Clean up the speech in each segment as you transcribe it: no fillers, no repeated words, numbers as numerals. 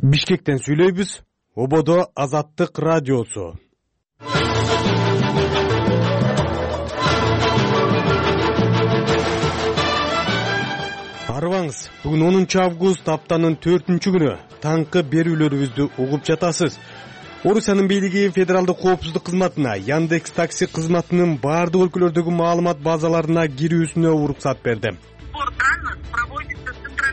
Бишкектен сүйлөйбүз. Ободо Азаттык радиосу. Арыбаңыз, бүгүн 10 август аптанын 4-күнү. Таңкы берүүлөрүбүздү угуп жатасыз. Орусиянын бийлиги федералдык коопсуздук кызматына Яндекс такси кызматынын бардык өлкөлөрдөгү маалымат базаларына кирүүсүнө уруксат берди.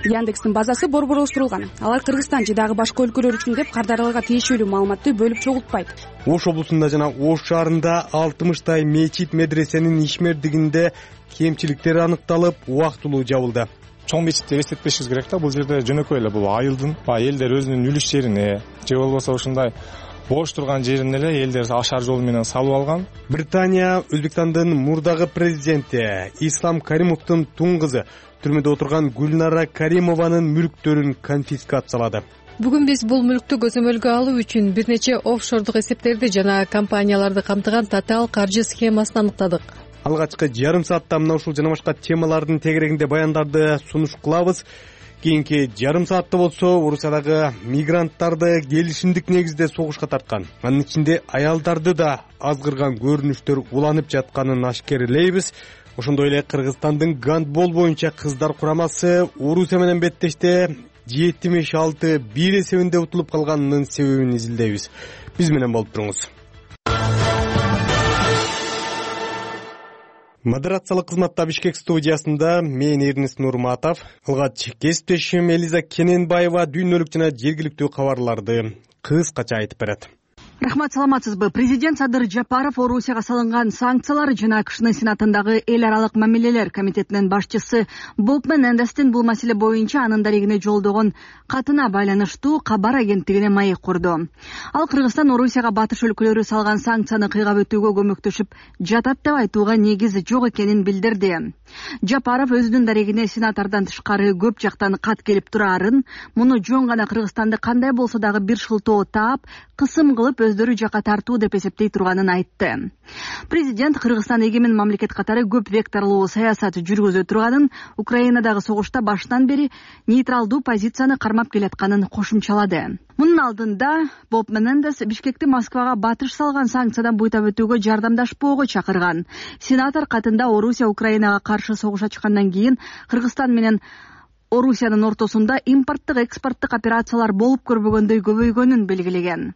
Яндекстин базасы борборлоштурулган. Алар Кыргызстан же дагы башка өлкөлөр үчүн деп кардарларга тиешелүү маалыматты бөлүп чогултпайт. Ош облусунда жана Ош шаарында 60 мечит медресенин ишмердигинде кемчиликтер аныкталып, убактылуу жабылды. Чоң мечиттер эстетпешибиз керек да, бул жерде жөнөкөй эле бул айылдын элдер өзүнүн үлүш жерине же болбосо ушундай бош турган жерин эле элдер ашар жол менен салып алган. Британия Өзбекстандын мурдагы президенти Ислам Каримовдун тун кызы түрмөдө отурган Гүлнара Каримованын мүлктөрүн конфискациялады. Бүгүн биз бул мүлктү көзөмөлгө алуу үчүн бир нече офшордук эсептерди жана компанияларды камтыган татаал каржы схемасын аныктадык. Алгачкы жарым саатта мына ушул жана башка темалардын тегерегинде баяндарды сунуш кылабыз. Кийинки жарым саатта болсо Орусиядагы мигранттарды келишимдик негизде согушка тарткан, анын ичинде аялдарды да азгырган көрүнүштөр уланып жатканын ашкерлейбиз. Ошондой эле Кыргызстандын гандбол боюнча кыздар курамасы Орусия менен беттеште 76-1 эсебинде утулуп калганынын себебин изилдейбиз. Биз менен болуп туруңуз. Модерациялык кызматта Бишкек студиясында мен Эрнест Нурматов, алгач кесиптешим Элиза Кененбаева дүйнөлүк жана жергиликтүү кабарларды кыскача айтып берет. Рахмат, саламатсызбы? Президент Садыр Жапаров Орусияга салынган санкциялар жана АКШнын Сенатындагы эл аралык мамилелер комитетинин башчысы Боб Менендестин бул маселе боюнча анын дарегине жолдогон катына байланыштуу кабар агенттигине маек курду. Ал Кыргызстан Орусияга батыш өлкөлөрү салган санкцияны кыйгап өтүүгө көмөктөшүп жатат деп айтууга негиз жок экенин билдирди. Жапаров өзүнүн дарегине сенатордон тышкары көп жактан кат келип турарын, муну жөн гана Кыргызстанды кандай болсо дагы бир шылтоо таап, кысым кылып өздөрү жака тартуу деп эсептей турганын айтты. Президент Кыргызстан эгемен мамлекет катары көп векторлуу саясат жүргүзө турганын, Украинадагы согушта баштан бери нейтралдуу позицияны кармап келатканын кошумчалады. Мунун алдында Боб Менендес Бишкекти Москвага батыш салган санкциядан буйтап өтүүгө жардамдашпоого чакырган. Сенатор катында Орусия Украинага каршы согуш ачкандан кийин Кыргызстан менен Орусиянын ортосунда импорттук экспорттук операциялар болуп көрбөгөндөй көбөйгөнүн белгилеген.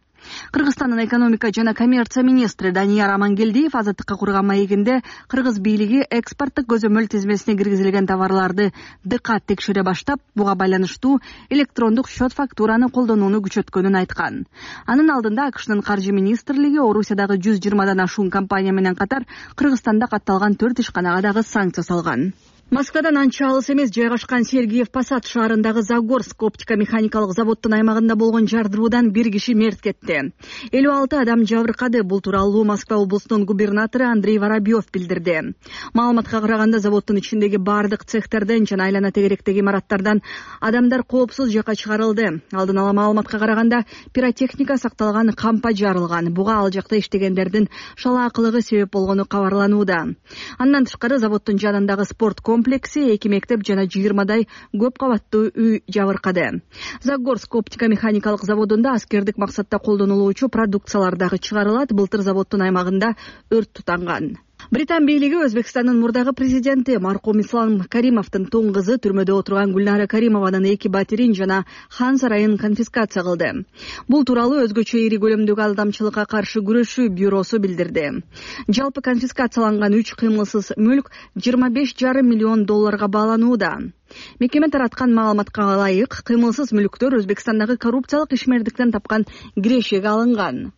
Кыргызстандын экономика жана коммерция министри Данияр Амангелдиев Азаттыкка курган маегинде Кыргыз бийлиги экспорттук көзөмөл тизмесине киргизилген товарларды дыкат текшере баштап, буга байланыштуу электрондук счет фактураны колдонууну күчөткөнүн айткан. Анын алдында АКШнын каржы министрлиги Орусиядагы 120дан ашуун компания менен катар Кыргызстанда катталган 4 ишканага дагы санкция салган. Москвадан анча алыс эмес жайгашкан Сергиев Посад шаарындагы Загорск оптика механикалык заводдун аймагында болгон жардыруудан бир киши мерт кетти. 56 адам жабыркады. Бул тууралуу Москва облусунун губернатору Андрей Воробьев билдирди. Маалыматка караганда заводдун ичиндеги бардык цехтерден жана айлана тегеректеги имараттардан адамдар коопсуз жакка чыгарылды. Алдын ала маалыматка караганда пиротехника сакталган, кампа жарылган. Буга ал жакта иштегендердин шалаакылыгы себеп болгону кабарланууда. Андан тышкары заводдун жанындагы спорт комплекси, 2 мектеп жана 20дай көп кабаттуу үй жабыркады. Загорск оптика механикалык заводунда аскердик максатта колдонулуучу продукциялар дагы чыгарылат. Былтыр заводдун аймагында өрт тутанган. Британ бийлиги Өзбекстандын мурдагы президенти маркум Ислам Каримовдун тун кызы түрмөдө отурган Гүлнара Каримованын 2 батирин жана хан сарайын конфискация кылды. Бул тууралуу өзгөчө ири көлөмдөгү алдамчылыкка каршы күрөшүү бюросу билдирди. Жалпы конфискацияланган 3 кыймылсыз мүлк $25,5 миллион бааланууда. Мекеме тараткан маалыматка ылайык, кыймылсыз мүлктөр Өзбекстандагы коррупциялык ишмердиктен тапкан кирешеге алынган.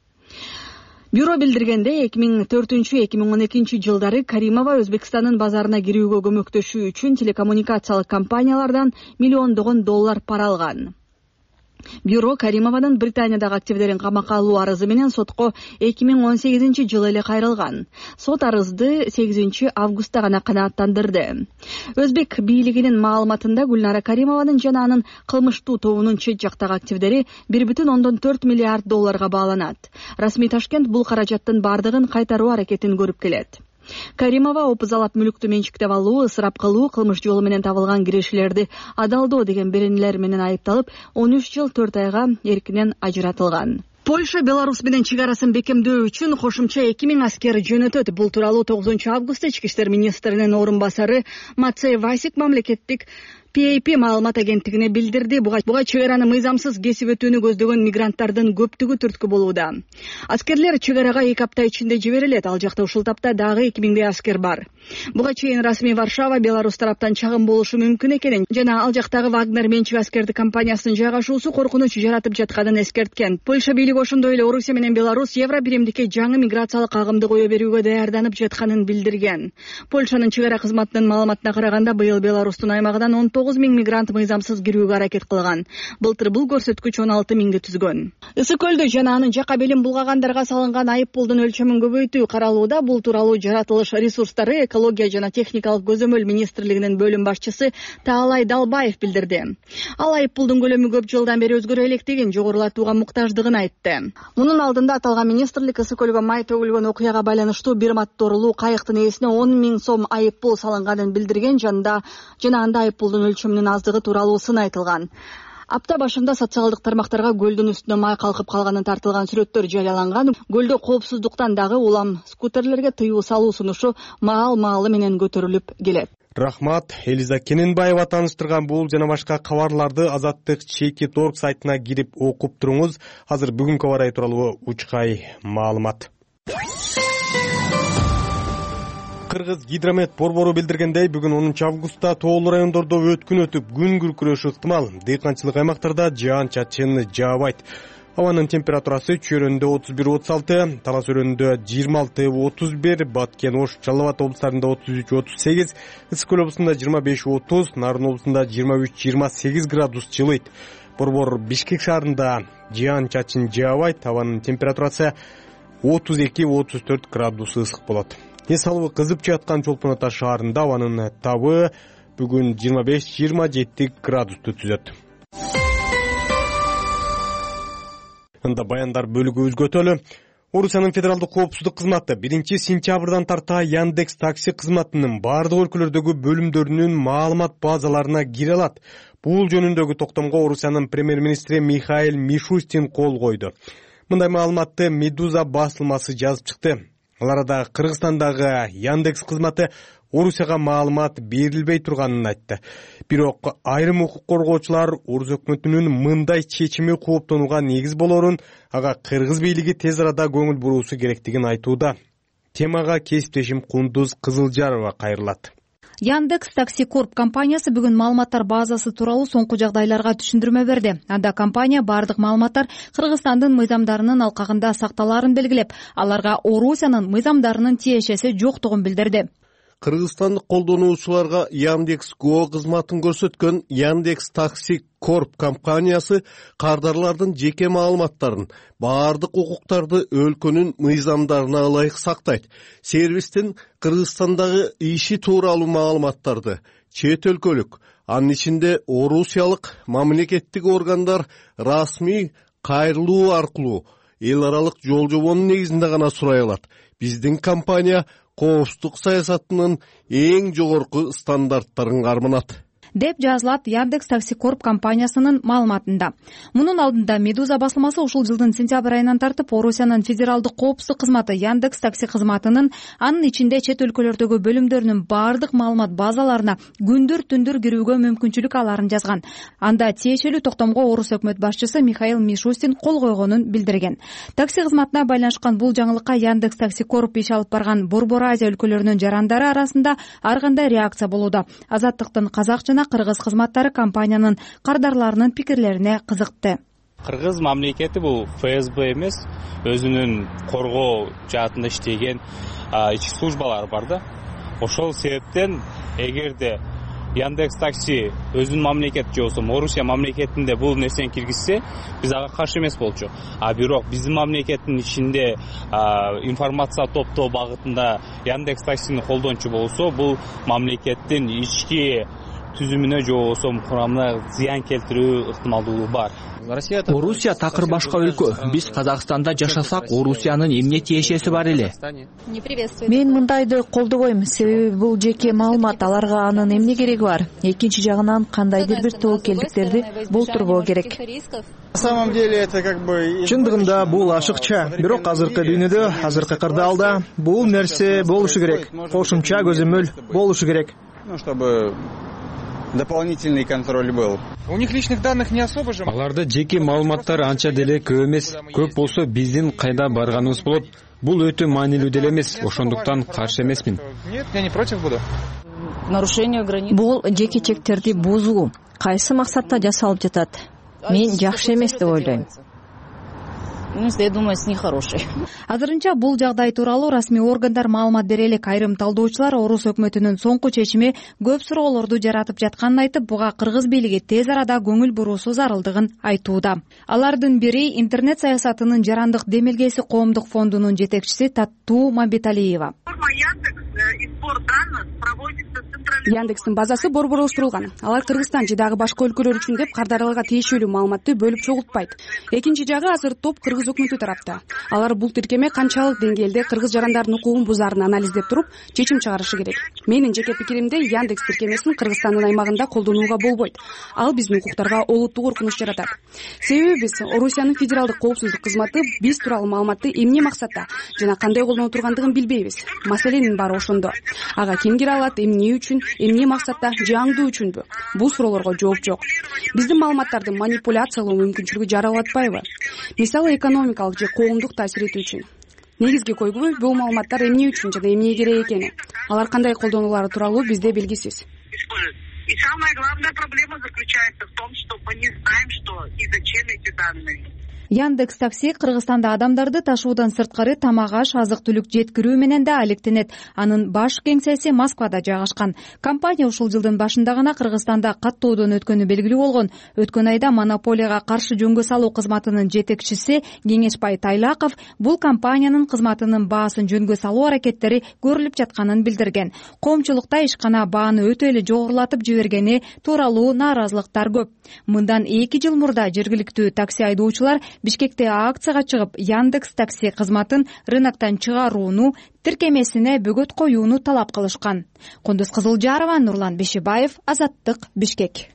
Бюро билдиргенде 2004-2012 жылдары Каримова Өзбекстандын базарына кирүүгө көмөктөшүү үчүн телекоммуникациялык компаниялардан миллиондогон доллар пара алган. Бюро Каримованын Британиядагы активдерин камакка алуу арызы менен сотко 2018 жылы эле кайрылган. Сот арызды 8 августта гана канааттандырды. Өзбек бийлигинин маалыматында Гүлнара Каримованын жана анын кылмыштуу тобунун чет жактагы активдери 1,4 миллиард долларга бааланат. Расмий Ташкент бул каражаттын бардыгын кайтаруу аракетин көрүп келет. Каримова опузалап мүлүктү менчиктеп алуу, ысырап кылуу, кылмыш жолу менен табылган кирешелерди адалдоо деген беренелер менен айыпталып 13 жыл 4 айга эркинен ажыратылган. Польша Беларусь менен чек арасын бекемдөө үчүн кошумча 2000 аскер жөнөтөт. Бул тууралуу 9 августта ички иштер министринин орун басары Мацей Васик мамлекеттик PAP маалымат агенттигине билдирди. Буга чек араны мыйзамсыз кесип өтүүнү көздөгөн мигранттардын көптүгү түрткү болууда. Аскерлер чек арага 2 апта ичинде жиберилет. Ал жакта ушул тапта дагы 2000 аскер бар. Буга чейин расмий Варшава Беларусь тараптан чагым болушу мүмкүн экенин жана ал жактагы Вагнер менчик аскерди компаниясынын жайгашуусу коркунуч жаратып жатканын эскерткен. Польша бийлиги ошондой эле Орусия менен Беларусь Евро биримдикке жаңы миграциялык агымды кое берүүгө даярданып жатканын билдирген. Польшанын чек ара кызматынын маалыматына караганда быйыл Беларустун аймагынан 19 000 мигрант мыйзамсыз кирүүгө аракет кылган. Былтыр бул көрсөткүч 16 000 түзгөн. Ысык көлдө жана анын жака белин булгагандарга салынган айып пулдун өлчөмүн көбөйтүү каралууда. Бул тууралуу жаратылыш ресурстары, экология жана техникалык көзөмөл министрлигинин бөлүм башчысы Таалай Далбаев билдирди. Ал айып пулдун көлөмү көп жылдан бери өзгөрө электигин, жогорулатууга муктаждыгын айтты. Мунун алдында аталган министрлик ысык көлгө май төгүлгөн окуяга байланыштуу бир моторлуу кайыктын ээсине 10 000 сом айып пул салынганын билдирген жана анда айып пулдун өлчөмүнүн аздыгы тууралуу сын айтылган. Апта башында социалдык тармактарга көлдүн үстүнө май калкып калганын тартылган сүрөттөр жарыяланган. Көлдө коопсуздуктан дагы улам скутерлерге тыюу салуу сунушу маал-маалы менен көтөрүлүп келет. Рахмат. Элиза Кененбаева тааныштырган бул жана башка кабарларды Азаттык.org сайтына кирип окуп туруңуз. Азыр бүгүнкү аба ырайы тууралуу учкай маалымат. Кыргыз гидромет борбору билдиргендей, бүгүн 10 августта тоолуу райондордо өткүн өтүп, күн күркүрөшү ыктымал. Дыйканчылык аймактарда жаан-чачын жаабайт. Абанын температурасы Чөйрөндө 31-36, Талас өрөндө 26-31, Баткен, Ош, Жалал Абад облустарында 33-38, Ысык көл облусунда 25-30, Нарын облусунда 23-28 градус жылыйт. Борбор Бишкек шаарында жаан-чачын жаабайт. Абанын температурасы 32-34 градус ысык болот. Эс алуу кызып жаткан Чолпон Ата шаарында абанын табы бүгүн 25-27 градусту түзөт. Анда баяндар бөлүгү өзгөтөлү. Орусиянын федералдык коопсуздук кызматы 1 сентябрдан тарта Яндекс такси кызматынын бардык өлкөлөрдөгү бөлүмдөрүнүн маалымат базаларына кире алат. Бул жөнүндөгү токтомго Орусиянын премьер-министри Михаил Мишустин кол койду. Мындай маалыматты Медуза басылмасы жазып чыкты. Ал арада Кыргызстандагы Яндекс кызматы Орусияга маалымат берилбей турганын айтты. Бирок айрым укук коргоочулар Орус өкмөтүнүн мындай чечими кооптонууга негиз болорун, ага кыргыз бийлиги тез арада көңүл буруусу керектигин айтууда. Темага кесиптешим Кундуз Кызылжарова кайрылат. Яндекс Такси Корп компаниясы бүгүн маалыматтар базасы тууралуу соңку жагдайларга түшүндүрмө берди. Анда компания бардык маалыматтар Кыргызстандын мыйзамдарынын алкагында сакталаарын белгилеп, аларга Орусиянын мыйзамдарынын тиешеси жоктугун билдирди. Кыргызстандык колдонуучуларга Яндекс.Go кызматын көрсөткөн Яндекс Такси Корп компаниясы кардарлардын жеке маалыматтарын, бардык укуктарды өлкөнүн мыйзамдарына ылайык сактайт. Сервистин Кыргызстандагы иши тууралуу маалыматтарды чет өлкөлүк, анын ичинде орусиялык мамлекеттик органдар расмий кайрылуу аркылуу эл аралык жол жобонун негизинде гана сурай алат. Биздин компания коопсуздук саясатынын эң жогорку стандарттарын карманат, деп жазылат Яндекс Такси Корп компаниясынын маалыматында. Мунун алдында Медуза басылмасы ушул жылдын сентябрь айынан тартып Орусиянын федералдык коопсуздук кызматы Яндекс Такси кызматынын анын ичинде чет өлкөлөрдөгү бөлүмдөрүнүн бардык маалымат базаларына күндүр-түндүр кирүүгө мүмкүнчүлүк аларын жазган. Анда тиешелүү токтомго Орус өкмөт башчысы Михаил Мишустин кол койгонун билдирген. Такси кызматына байланышкан бул жаңылыкка Яндекс Такси Корп иш алып барган Борбор Азия өлкөлөрүнүн жарандары арасында ар кандай реакция болууда. Азаттыктын казак жана кыргыз кызматтары компаниянын кардарларынын пикирлерине кызыкты. Кыргыз мамлекети бул ФСБ эмес, өзүнүн коргоо жаатында иштеген ички службалар бар да. Ошол себептен эгерде Яндекс Такси өзүнүн мамлекети же болбосо Орусия мамлекетинде бул нерсени киргизсе, биз ага каршы эмес болчу. Бирок биздин мамлекеттин ичинде информация топтоо багытында Яндекс Таксини колдончу болсо, бул мамлекеттин ички түзүмүнө же болбосо курамына зыян келтирүү ыктымалдуулугу бар. Орусия такыр башка өлкө. Биз Казакстанда жашасак, Орусиянын эмне тиешеси бар эле? Мен мындайды колдобойм, себеби бул жеке маалымат, аларга анын эмне кереги бар? Экинчи жагынан кандайдыр бир тобокелдиктерди болтурбоо керек. Чындыгында бул ашыкча, бирок азыркы дүйнөдө, азыркы кырдаалда бул нерсе болушу керек. Кошумча көзөмөл болушу керек. Чтобы дополнительный контроль был. У них личных данных не особо же. Аларда жеке маалыматтар анча деле көп эмес. Көп болсо биздин кайда барганыбыз болот. Бул өтө маанилүү деле эмес. Ошондуктан каршы эмесмин. Нет, я не против буду. Бул жеке чектерди бузуу кайсы максатта жасалып жатат? Мен жакшы эмес деп ойлойм. Я думаю, с нехорошей. Азырынча бул жагдай тууралуу расмий органдар маалымат бере элек. Айрым талдоочулар Орус өкмөтүнүн соңку чечими көп суроолорду жаратып жатканын айтып, буга кыргыз бийлиги тез арада көңүл буруусу зарылдыгын айтууда. Алардын бири интернет саясатынын жарандык демилгеси коомдук фондунун жетекчиси Таттуу Мамбеталиева. Яндекстин базасы борборлоштурулган. Алар Кыргызстан же дагы башка өлкөлөр үчүн деп кардарларга тиешелүү маалыматты бөлүп чогултпайт. Экинчи жагы азыр топ кыргыз өкмөтү тарапта. Алар бул тиркеме канчалык деңгээлде кыргыз жарандардын укугун бузаарын анализдеп туруп, чечим чыгарышы керек. Менин жеке пикиримде, Яндекс тиркемесин Кыргызстандын аймагында колдонууга болбойт. Ал биздин укуктарга олуттуу коркунуч жаратат. Себеби биз Орусиянын федералдык коопсуздук кызматы биз тууралуу маалыматты эмне максатта жана кандай колдоно тургандыгын билбейбиз. Маселенин баары ошондо. Ага ким кире алат, эмне үчүн, эмне максатта же аңдуу үчүнбү? Бул суроолорго жооп жок. Биздин маалыматтарды манипуляциялоо мүмкүнчүлүгү жаралып атпайбы? Мисалы, экономикалык же коомдук таасир этүү үчүн. Негизги койгубуз бул маалыматтар эмне үчүн жана эмне керек экени. Алар кандай колдонулары тууралуу бизде белгисиз. И самая главная проблема заключается в том, что мы не знаем, что и зачем эти данные. Яндекс такси Кыргызстанда адамдарды ташуудан сырткары тамак аш, азык-түлүк жеткирүү менен да алектенет. Анын баш кеңсеси Москвада жайгашкан. Компания ушул жылдын башында гана Кыргызстанда каттоодон өткөнү белгилүү болгон. Өткөн айда монополияга каршы жөнгө салуу кызматынын жетекчиси Кеңешбай Тайлаков бул компаниянын кызматынын баасын жөнгө салуу аракеттери көрүлүп жатканын билдирген. Коомчулукта ишкана бааны өтө эле жогорулатып жибергени тууралуу нааразылыктар көп. Мындан 2 жыл мурда жергиликтүү такси айдоочулар Бишкекте акцияга чыгып, Яндекс такси кызматын рыноктон чыгарууну, тиркемесине бөгөт коюуну талап кылышкан. Кундуз Кызылжарова, Нурлан Бешибаев, Азаттык, Бишкек.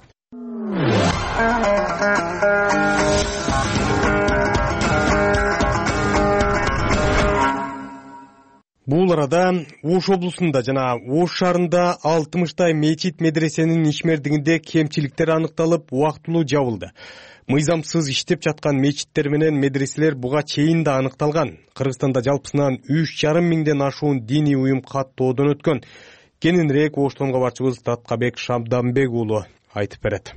Бул арада Ош облусунда жана Ош шаарында 60 мечит медресенин ишмердигинде кемчиликтер аныкталып, убактылуу жабылды. Мыйзамсыз иштеп жаткан мечиттер менен медреселер буга чейин да аныкталган. Кыргызстанда жалпысынан 3,5 миңден ашуун диний уюм каттоодон өткөн. Кененирээк Оштон кабарчыбыз Таткабек Шабданбек уулу айтып берет.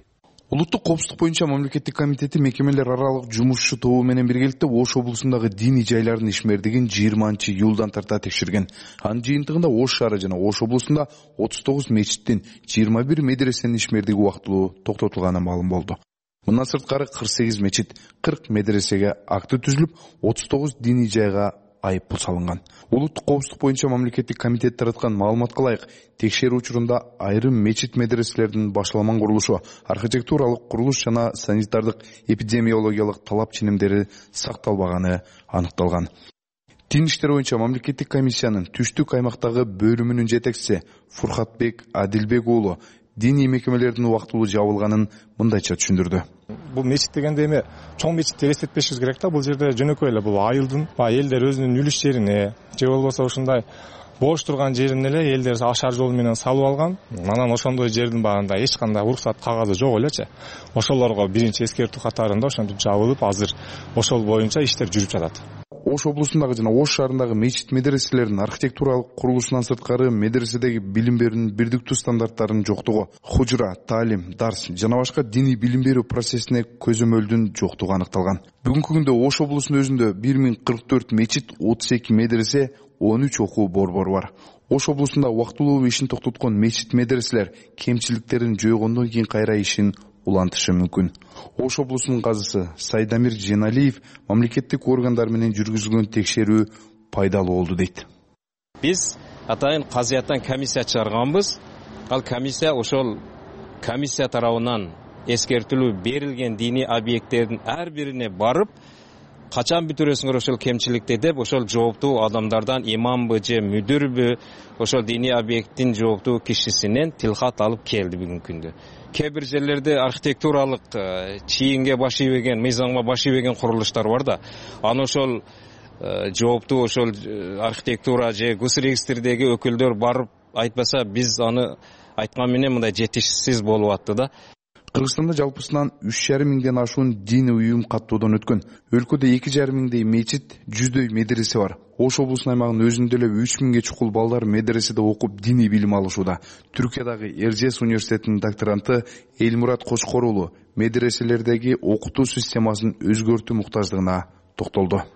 Улуттук коопсуздук боюнча мамлекеттик комитети мекемелер аралык жумушчу тобу менен биргеликте Ош облусундагы диний жайлардын ишмердигин 20-июлдан тарта текшерген. Анын жыйынтыгында Ош шаары жана Ош облусунда 39 мечиттин 21 медресенин ишмердиги убактылуу токтотулганы маалым болду. Мындан сырткары 48 мечит, 40 медресеге акты түзүлүп, 39 диний жайга айыппул салынган. Улуттук коопсуздук боюнча мамлекеттик комитет тараткан маалыматка ылайык, текшерүү учурунда айрым мечит медреселердин башталман курулушу, архитектуралык курулуш жана санитардык эпидемиологиялык талап ченемдери сакталбаганы аныкталган. Дин иштери боюнча мамлекеттик комиссиянын түштүк аймактагы бөлүмүнүн жетекчиси Фуркатбек Адилбек уулу диний мекемелердин убактылуу жабылганын мындайча түшүндүрдү. Бул мечит дегенде эми чоң мечитти элестетпешибиз керек да. Бул жерде жөнөкөй эле бул айылдын элдер өзүнүн үлүш жерине же болбосо ушундай бош турган жерине эле элдер ашар жол менен салып алган. Анан ошондой жердин баарында эч кандай уруксат кагазы жок элечи. Ошолорго биринчи эскертүү катарында ошентип жабылып, азыр ошол боюнча иштер жүрүп жатат. Ош облусундагы жана Ош шаарындагы мечит медреселердин архитектуралык курулушунан сырткары медреседеги билим берүүнүн бирдиктүү стандарттарынын жоктугу, хужра, таалим, дарс жана башка диний билим берүү процессине көзөмөлдүн жоктугу аныкталган. Бүгүнкү күндө Ош облусунун өзүндө 1044 мечит, 32 медресе, 13 окуу борбору бар. Ош облусунда убактылуу ишин токтоткон мечит медреселер кемчиликтерин жойгондон кийин кайра ишин улантышы мүмкүн. Ош облусунун казысы Сайдамир Женалиев мамлекеттик органдар менен жүргүзүлгөн текшерүү пайдалуу болду дейт. Биз атайын казыяттан комиссия чыгарганбыз. Ал комиссия ошол комиссия тарабынан эскертилүү берилген диний объекттердин ар бирине барып, качан бүтүрөсүңөр ошол кемчиликти деп, ошол жооптуу адамдардан имамбы же мүдүрбү, ошол диний объекттин жооптуу кишисинен тилкат алып келди бүгүнкү күндө. Кээ бир жерлерде архитектуралык чийинге баш ийбеген, мыйзамга баш ийбеген курулуштар бар да. Аны ошол жооптуу ошол архитектура же госрегистрдеги өкүлдөр барып айтпаса, биз аны айткан менен мындай жетишсиз болуп атты да. Кыргызстанда жалпысынан 3,5 миңден ашуун диний уюм каттоодон өткөн. Өлкөдө 2,5 миңдей мечит, 100дөй медресе бар. Ош облусунун аймагынын өзүндө эле 3 миңге чукул балдар медреседе окуп диний билим алышууда. Түркиядагы Эржес университетинин докторанты Элмурат Кочкор уулу медреселердеги окутуу системасын өзгөртүү муктаждыгына токтолду.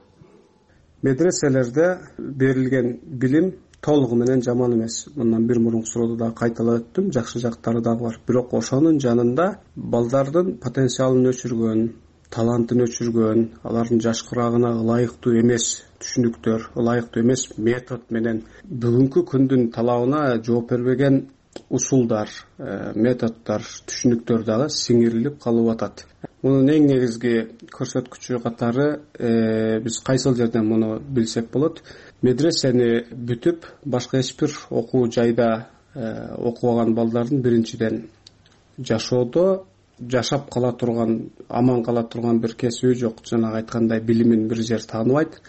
Медреселерде берилген билим толугу менен жаман эмес. Мындан бир мурунку суроодо да кайталап өттүм, жакшы жактары дагы бар. Бирок ошонун жанында балдардын потенциалын өчүргөн, талантын өчүргөн, алардын жашкырагына ылайыктуу эмес түшүнүктөр, ылайыктуу эмес метод менен бүгүнкү күндүн талабына жооп бербеген усулдар, методдор, түшүнүктөр дагы сиңирилип калып атат. Мунун эң негизги көрсөткүчү катары биз кайсыл жерден муну билсек болот? Медресени бүтүп, башка эч бир окуу жайда окубаган балдардын биринчиден жашоодо жашап кала турган, аман кала турган бир кесиби жок. Жанагы айткандай билимин бир жер тааныбайт,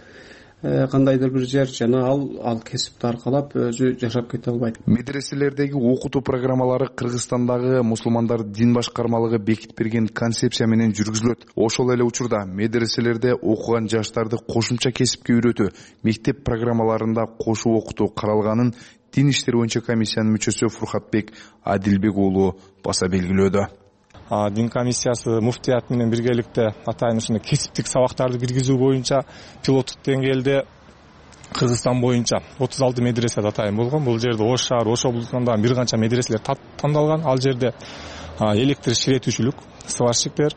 кандайдыр бир жер жана ал кесипти аркалап өзү жашап кете албайт. Медреселердеги окутуу программалары Кыргызстандагы мусулмандар дин башкармалыгы бекитип берген концепция менен жүргүзүлөт. Ошол эле учурда медреселерде окуган жаштарды кошумча кесипке үйрөтүү, мектеп программаларында кошуу окутуу каралганын Дин иштери боюнча комиссиянын мүчөсү Фуркатбек Адилбек уулу баса белгилөөдө. Дин комиссиясы муфтият менен биргеликте атайын ушундай кесиптик сабактарды киргизүү боюнча пилоттук деңгээлде Кыргызстан боюнча 36 медресе атайын болгон. Бул жерде Ош шаар, Ош облусунан да бир канча медреселер тандалган. Ал жерде электр ширетүүчүлүк, сварщиктер,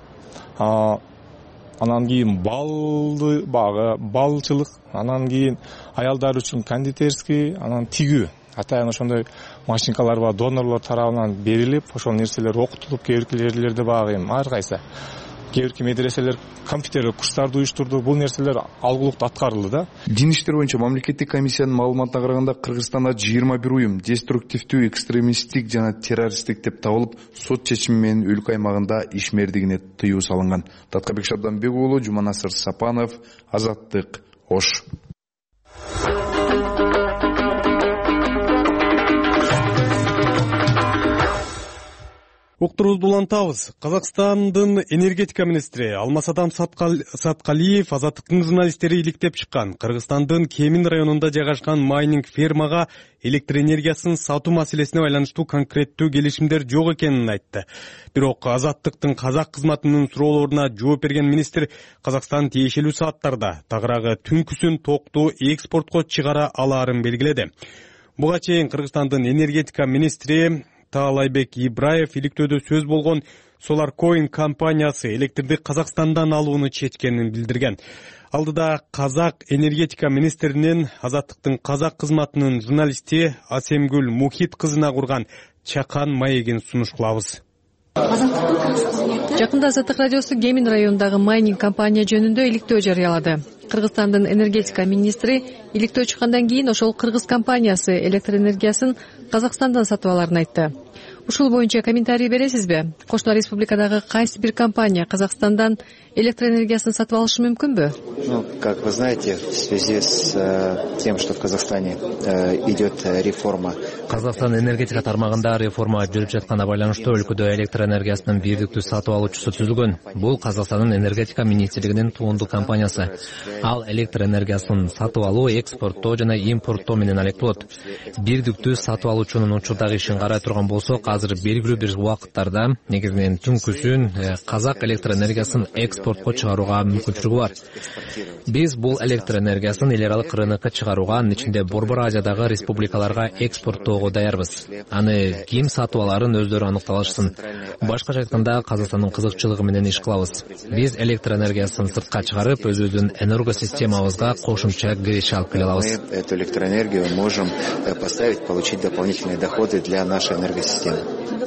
анан кийин балды багы, балчылык, анан кийин аялдар үчүн кондитерский, анан тигүү. Атайын ошондой машинкалар бар, донорлор тарабынан берилип, ошол нерселер окутулуп, кээ бир жерлерде багы ар кайсы. Кээ бир медреселер компьютерлик курстарды уюштурду. Бул нерселер алгылыкта аткарылды да. Дин иштери боюнча мамлекеттик комиссиянын маалыматына караганда Кыргызстанда 21 уюм деструктивдүү, экстремисттик жана террористтик деп табылып, сот чечими менен өлкө аймагында ишмердигине тыюу салынган. Таткабек Шабданбек уулу, Жуманасыр Сапанов, Азаттык, Ош. Уктурубузду улантабыз. Казакстандын энергетика министри Алмасадам Саткалиев Азаттыктын журналисттери иликтеп чыккан Кыргызстандын Кемин районунда жайгашкан майнинг фермага электр энергиясын сатуу маселесине байланыштуу конкреттүү келишимдер жок экенин айтты. Бирок Азаттыктын казак кызматынын суроолоруна жооп берген министр Казакстан тиешелүү сааттарда тагыраагы түнкүсүн токту экспортко чыгара алаарын белгиледи. Буга чейин Кыргызстандын энергетика министри Таалайбек Ибраев иликтөөдө сөз болгон Solarcoin компаниясы электрди Казакстандан алууну чечкенин билдирген. Алдыда казак энергетика министринин Азаттыктын казак кызматынын журналисти Асемгүл Мухит кызына курган чакан маегин сунуш кылабыз. Жакында Азаттык радиосу Кемин районундагы майнинг компания жөнүндө иликтөө жарыялады. Кыргызстандын энергетика министри иликтөө чыккандан кийин ошол кыргыз компаниясы электр энергиясын Казакстандан сатып аларын айтты. Ушул боюнча комментарий бересизби? Кошуна республикадагы кайсы бир компания Казакстандан электр энергиясын сатып алышы мүмкүнбү? Как вы знаете, в связи с тем, что в Казахстане идет реформа. Казакстан энергетика тармагында реформа жүрүп жатканына байланыштуу өлкөдө электр энергиясынын бирдиктүү сатып алуучусу түзүлгөн. Бул Казакстандын энергетика министрлигинин туунду компаниясы. Ал электр энергиясын сатып алуу, экспорттоо жана импорттоо менен алектолот. Бирдиктүү сатып алуучунун учурдагы ишин карай турган болсок, азыр белгилүү бир убакыттарда негизинен түнкүсүн казак электр энергиясын экспорт экспортко чыгарууга мүмкүнчүлүгү бар. Биз бул электр энергиясын эл аралык рынокко чыгарууга, анын ичинде Борбор Азиядагы республикаларга экспорттоого даярбыз. Аны ким сатып аларын өздөрү аныкталышсын. Башкача айтканда, Казакстандын кызыкчылыгы менен иш кылабыз. Биз электр энергиясын сыртка чыгарып, өзүбүздүн энергосистемабызга кошумча киреше алып келе алабыз. Эту электроэнергию можем поставить, получить дополнительные доходы для нашей энергосистемы.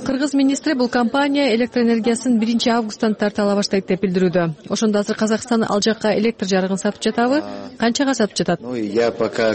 Кыргыз министри бул компания электр энергиясын 1-августтан тарта ала баштайт деп билдирүүдө. Ошондо азыр Казакстан ал жакка электр жарыгын сатып жатабы? Канчага сатып жатат? Я пока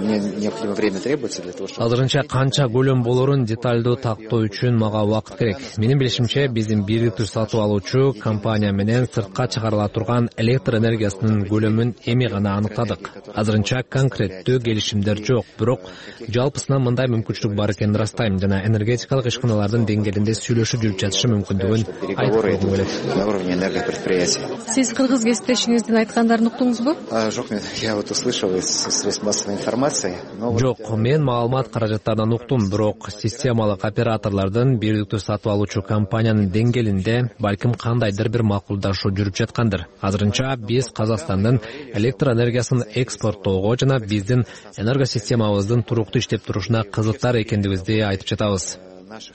мне необходимо время требуется для того, чтобы... Азырынча канча көлөм болорун деталдуу тактоо үчүн мага убакыт керек. Менин билишимче, биздин бирдиктүү сатып алуучу компания менен сыртка чыгарыла турган электр энергиясынын көлөмүн эми гана аныктадык. Азырынча конкреттүү келишимдер жок, бирок жалпысынан мындай мүмкүнчүлүк бар экенин ырастайм жана энергетикалык ишканалардын деңгээлинде сүйлөшүп жүрүп жатышы мүмкүндүгүн айтып койгум келет. На уровне энергопредприятий. Сиз кыргыз кесиптешиңиздин айткандарын уктуңузбу? Жок, я вот услышал из средств массовой информации. Жок, мен маалымат каражаттарынан уктум, бирок системалык операторлордун бирдиктүү сатып алуучу компаниянын деңгээлинде балким кандайдыр бир макулдашуу жүрүп жаткандыр. Азырынча биз Казакстандын электр энергиясын экспорттоого жана биздин энергосистемабыздын туруктуу иштеп турушуна кызыктар экендигибизди айтып жатабыз.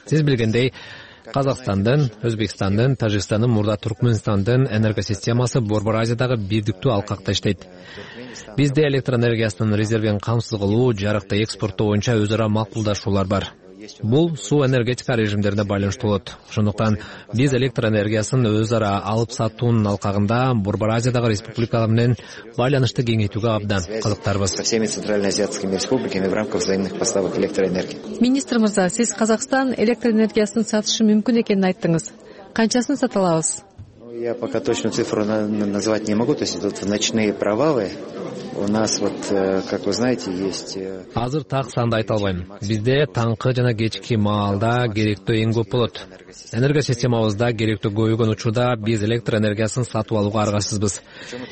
Сиз билгендей, Казакстандын, Өзбекстандын, Тажикстандын, мурда Туркменстандын энергосистемасы Борбор Азиядагы бирдиктүү алкакта иштейт. Бизде электр энергиясынын резервин камсыз кылуу, жарыкты экспорттоо боюнча өз ара макулдашуулар бар. Бул суу энергетика режимдерине байланыштуу болот. Ошондуктан биз электр энергиясын өз ара алып сатуунун алкагында Борбор Азиядагы республикалар менен байланышты кеңейтүүгө абдан кызыктарбыз. Со всеми центральноазиатскими республиками в рамках взаимных поставок электроэнергии. Министр мырза, сиз Казакстан электр энергиясын сатышы мүмкүн экенин айттыңыз. Канчасын сата алабыз? Я пока точную цифру назвать не могу, то есть тут ночные провалы. У нас вот, как вы знаете, есть... Азыр так санды айта албайм. Бизде таңкы жана кечки маалда керектөө эң көп болот. Энергосистемабызда керектөө көбөйгөн учурда биз электр энергиясын сатып алууга аргасызбыз.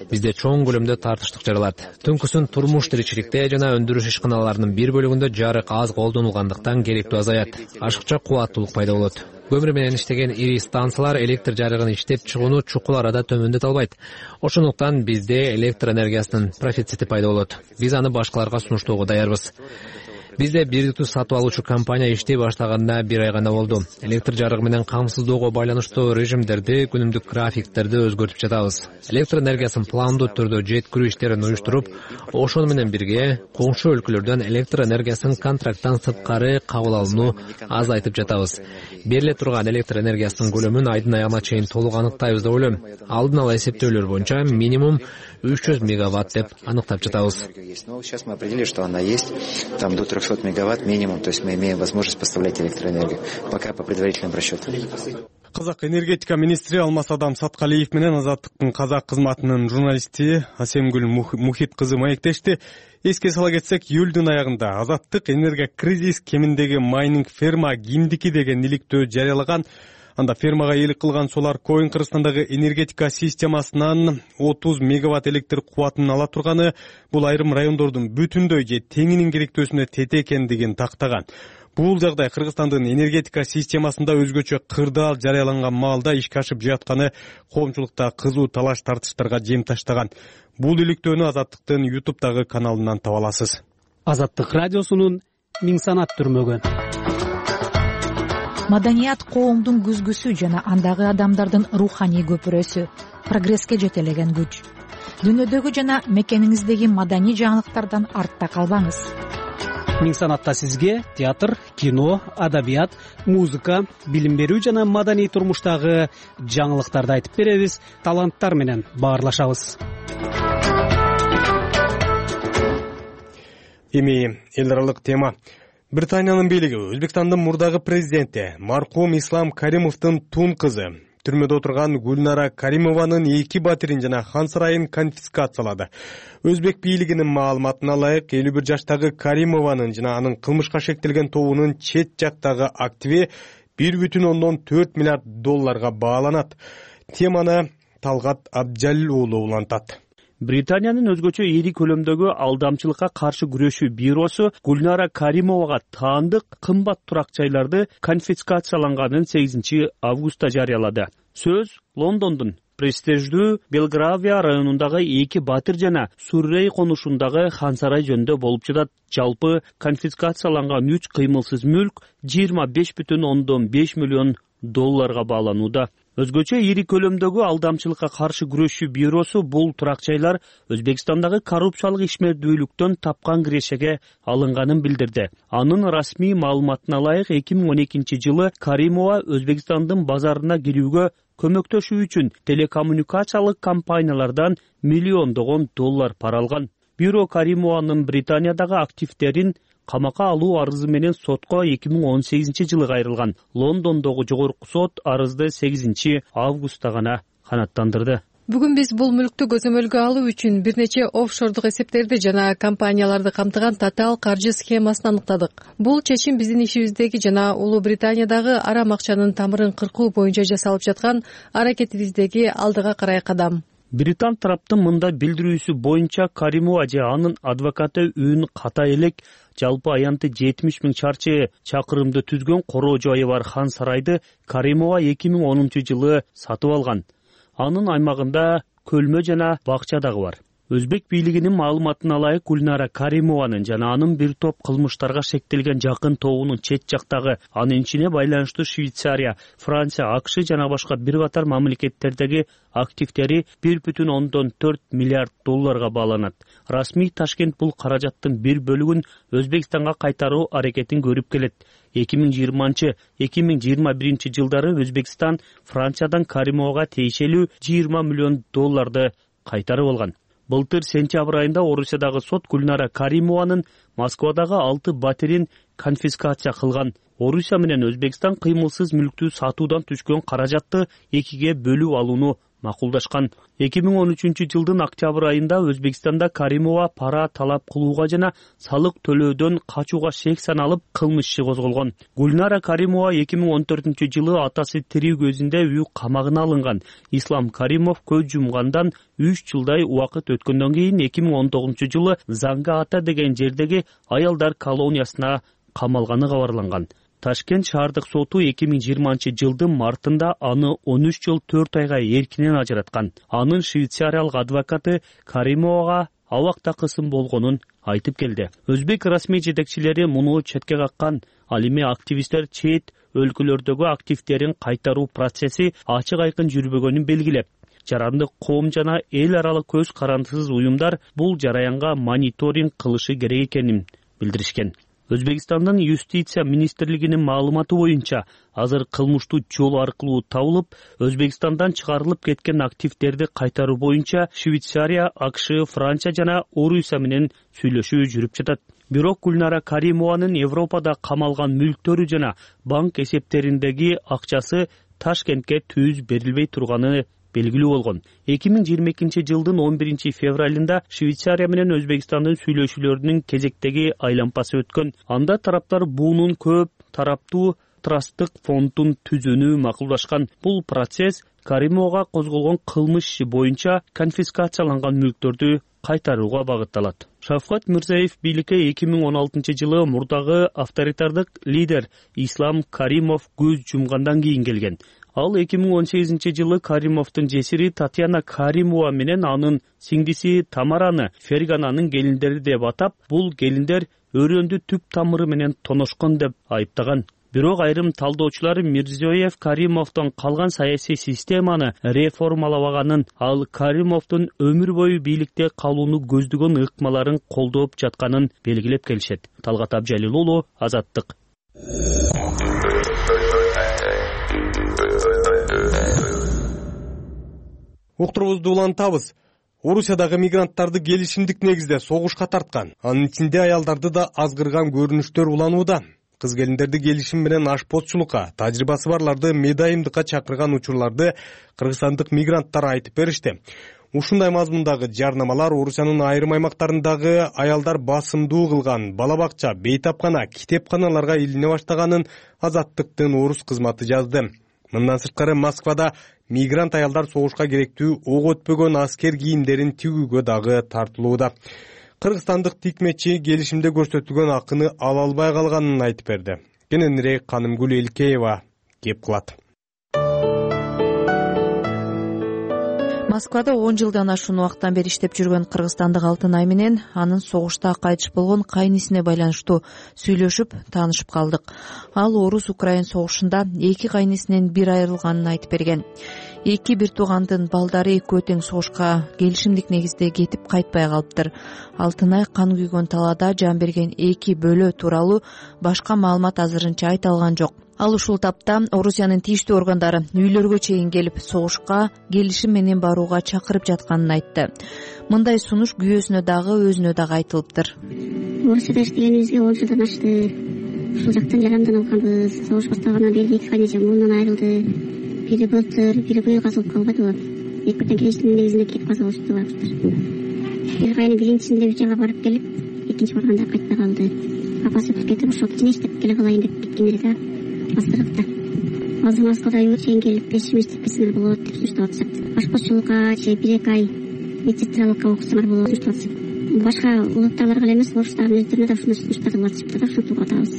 Бизде чоң көлөмдө тартыштык жаралат. Түнкүсүн турмуш тиричиликте жана өндүрүш ишканаларынын бир бөлүгүндө жарык аз колдонулгандыктан керектөө азаят. Ашыкча кубаттуулук пайда болот. Көмүр менен иштеген ири станциялар электр жарыгын иштеп чыгууну чукул арада төмөндөтө албайт. Ошондуктан бизде электр энергиясынын профицити пайда болот. Биз аны башкаларга сунуштоого даярбыз. Бизде бирдиктүү сатып алуучу компания иштей баштаганда 1 ай гана болду. Электр жарыгы менен камсыздоого байланыштуу режимдерди, күнүмдүк графиктерди өзгөртүп жатабыз. Электр энергиясын пландуу түрдө жеткирүү иштерин уюштуруп, ошону менен бирге коңшу өлкөлөрдөн электр энергиясын контракттан сырткары кабыл алууну азайтып жатабыз. Бериле турган электр энергиясынын көлөмүн айдын аягына чейин толук аныктайбыз деп ойлойм. Алдын ала эсептөөлөр боюнча минимум 300 мегаватт деп аныктап жатабыз. Сейчас мы определили, что она есть, там до 300 мегаватт минимум, то есть мы имеем возможность поставлять электроэнергию, пока по предварительным расчетам. Казак энергетика министри Алмаз Адам Саткалиев менен Азаттыктын казак кызматынын журналисти Асемгүл Мухит кызы маектешти. Эске сала кетсек, июлдун аягында Азаттык энергия кризис кеминдеги майнинг ферма кимдики деген иликтөө жарыялаган. Анда фермагаээлик кылган Solar Coin Кыргызстандагы энергетика системасынан 30 мегаватт электр кубатын ала турганы бул айрым райондордун бүтүндөй же теңинин керектөөсүнө тете экендигин тактаган. Бул жагдай Кыргызстандын энергетика системасында өзгөчө кырдаал жарыяланган маалда ишке ашып жатканы коомчулукта кызуу талаш тартыштарга жем таштаган. Бул иликтөөнү Азаттыктын YouTube'дагы каналынан таба аласыз. Азаттык радиосунун миң санат түрмөгү. Маданият коомдун күзгүсү жана андагы адамдардын руханий көпүрөсү, прогресске жетелеген күч. Дүйнөдөгү жана мекениңиздеги маданий жаңылыктардан артта калбаңыз. Миң санатта сизге театр, кино, адабият, музыка, билим берүү жана маданий турмуштагы жаңылыктарды айтып беребиз, таланттар менен баарлашабыз. Эми эл аралык тема. Британиянын бийлиги Өзбекстандын мурдагы президенти маркум Ислам Каримовдун тун кызы түрмөдө отурган Гүлнара Каримованын 2 батирин жана хан сарайын конфискациялады. Өзбек бийлигинин маалыматына ылайык 51 жаштагы Каримованын жана анын кылмышка шектелген тобунун чет жактагы активи 1,4 миллиард долларга бааланат. Теманы Талгат Абджалил уулу улантат. Британиянын өзгөчө ири көлөмдөгү алдамчылыкка каршы күрөшүү бюросу Гульнара Каримовага таандык кымбат турак жайларды конфискацияланганын 8 августта жарыялады. Сөз Лондондун престиждүү Белгравия районундагы 2 Батыр жана Суррей конушундагы Хан сарай жөнүндө болуп жатат. Жалпы конфискацияланган 3 кыймылсыз мүлк 25,5 миллион долларга бааланууда. Өзгөчө ири көлөмдөгү алдамчылыкка каршы күрөшүү бюросу бул турак жайлар Өзбекстандагы коррупциялык ишмердүүлүктөн тапкан кирешеге алынганын билдирди. Анын расмий маалыматына ылайык 2012 жылы Каримова Өзбекстандын базарына кирүүгө көмөктөшүү үчүн телекоммуникациялык компаниялардан миллиондогон доллар пара алган. Бюро Каримованын Британиядагы активдерин камакка алуу арызы менен сотко 2018 жылы кайрылган. Лондондогу жогорку сот арызды 8 августта гана канааттандырды. Бүгүн биз бул мүлктү көзөмөлгө алуу үчүн бир нече офшордук эсептерди жана компанияларды камтыган татаал каржы схемасын аныктадык. Бул чечим биздин ишибиздеги жана Улуу Британиядагы арам акчанын тамырын кыркуу боюнча жасалып жаткан аракетибиздеги алдыга карай кадам. Британ тараптын мындай билдирүүсү боюнча Каримова же анын адвокаты Үн Ката элек жалпы аянты 70 000 чарчы чакырымды түзгөн короо жайы бар Хан сарайды Каримова 2010 жылы сатып алган. Анын аймагында көлмө жана бакча дагы бар. Өзбек бийлигинин маалыматына ылайык Гульнара Каримованын жана анын бир топ кылмыштарга шектелген жакын тобунун чет жактагы анын ичине байланыштуу Швейцария, Франция, АКШ жана башка бир катар мамлекеттердеги активдери 1,4 миллиард долларга бааланат. Расмий Ташкент бул каражаттын бир бөлүгүн Өзбекстанга кайтаруу аракетин көрүп келет. 2020-2021 жылдары Өзбекстан Франциядан Каримовага тиешелүү 20 миллион долларды кайтарып алган. Былтыр сентябрь айында Орусиядагы сот Гульнара Каримованын Москвадагы 6 батирин конфискация кылган. Орусия менен Өзбекстан кыймылсыз мүлктү сатуудан түшкөн каражатты экиге бөлүп алууну макулдашкан. 2013 жылдын октябрь айында Өзбекстанда Каримова пара талап кылууга жана салык төлөөдөн качууга шек саналып кылмыш иши козголгон. Гульнара Каримова 2014 жылы атасы тирүү көзүндө үй камагына алынган. Ислам Каримов көз жумгандан 3 жылдай убакыт өткөндөн кийин 2019 жылы Занга ата деген жердеги аялдар колониясына камалганы кабарланган. Ташкент шаардык соту 2020 жылдын мартында аны 13 жыл 4 айга эркинен ажыраткан. Анын швейцариялык адвокаты Каримовага абак такысым болгонун айтып келди. Өзбек расмий жетекчилери муну четке каккан. Ал эми активисттер чет өлкөлөрдөгү активдерин кайтаруу процесси ачык айкын жүрбөгөнүн белгилеп, жарандык коом жана эл аралык көз карандысыз уюмдар бул жараянга мониторинг кылышы керек экенин билдиришкен. Өзбекстандын юстиция министрлигинин маалыматы боюнча, азыр кылмыштуу жол аркылуу табылып, Өзбекстандан чыгарылып кеткен активдерди кайтаруу боюнча Швейцария, АКШ, Франция жана Орусия менен сүйлөшүү жүрүп жатат. Бирок Гульнара Каримованын Европада камалган мүлктөрү жана банк эсептериндеги акчасы Ташкентке түз берилбей турганы белгилүү болгон. 2022 жылдын 11 февралында Швейцария менен Өзбекстандын сүйлөшүүлөрүнүн кезектеги айлампасы өткөн. Анда тараптар буунун көп тараптуу трасттык фондун түзүүнү макулдашкан. Бул процесс Каримовага козголгон кылмыш иши боюнча конфискацияланган мүлктөрдү кайтарууга багытталат. Шавкат Мирзиёев бийликке 2016 жылы мурдагы авторитардык лидер Ислам Каримов көз жумгандан кийин келген. Ал 2018 жылы Каримовдун жесири Татьяна Каримова менен анын сиңдиси Тамараны Фергананын келиндери деп атап, бул келиндер өрөөндү түп тамыры менен тоношкон деп айыптаган. Бирок айрым талдоочулар Мирзиёев Каримовдон калган саясий системаны реформалабаганын, ал Каримовдун өмүр бою бийликте калууну көздөгөн ыкмаларын колдоп жатканын белгилеп келишет. Талгат Абжалил уулу, Азаттык. Уктурубузду улантабыз. Орусиядагы мигранттарды келишимдик негизде согушка тарткан, анын ичинде аялдарды да азгырган көрүнүштөр уланууда. Кыз келиндерди келишим менен ашпозчулукка, тажрыйбасы барларды медайымдыкка чакырган учурларды кыргызстандык мигранттар айтып беришти. Ушундай мазмундагы жарнамалар Орусиянын айрым аймактарындагы аялдар басымдуу кылган бала бакча, бейтапкана, китепканаларга илине баштаганын Азаттыктын орус кызматы жазды. Мындан сырткары Москвада мигрант аялдар согушка керектүү ок өтпөгөн аскер кийимдерин тигүүгө дагы тартылууда. Кыргызстандык тикмечи келишимде көрсөтүлгөн акыны ала албай калганын айтып берди. Кененирээк Канымгүл Элкеева кеп кылат. Москвада 10 жылдан ашуун убакыттан бери иштеп жүргөн кыргызстандык Алтынай менен анын согушта кайтыш болгон кайнисине байланыштуу сүйлөшүп, таанышып калдык. Ал Орус-Украин согушунда эки кайнисинен бир айрылганын айтып берген. Эки бир туугандын балдары экөө тең согушка келишимдик негизде кетип кайтпай калыптыр. Алтынай кан күйгөн талаада жан берген эки бөлө тууралуу башка маалымат азырынча айта алган жок. Ал ушул тапта Орусиянын тийиштүү органдары үйлөргө чейин келип согушка келишим менен барууга чакырып жатканын айтты. Мындай сунуш күйөөсүнө дагы өзүнө дагы айтылыптыр. Орусияда иштегенибизге 10 жылдан ашты. Ушул жактан жарандан алганбыз. Согуш башталгандан бери эки кайнежем мурунан айрылды. Бири былтыр, бири быйыл казылып калбадыбы? Экөөтөн келишимдин негизинде кетип каза болушту баштар. Бир кайны биринчисинде үч айга барып келип, экинчи барганда кайтпай калды. Апасы өтүп кетип, ошол кичине иштеп келе калайын деп кеткен эле да. Азыркта азыр Москвада үйгө чейин келип келишим иштепкесиңер болот деп сунуштап атышат. Башкочулукка же 1-2 ай медсестралыкка окусаңар болот деп сунуштап атышат. Башка улуттагыларга эле эмес, орустардын өздөрүнө да ушундай сунуштарды атышыптыр да, ушинтип атабыз.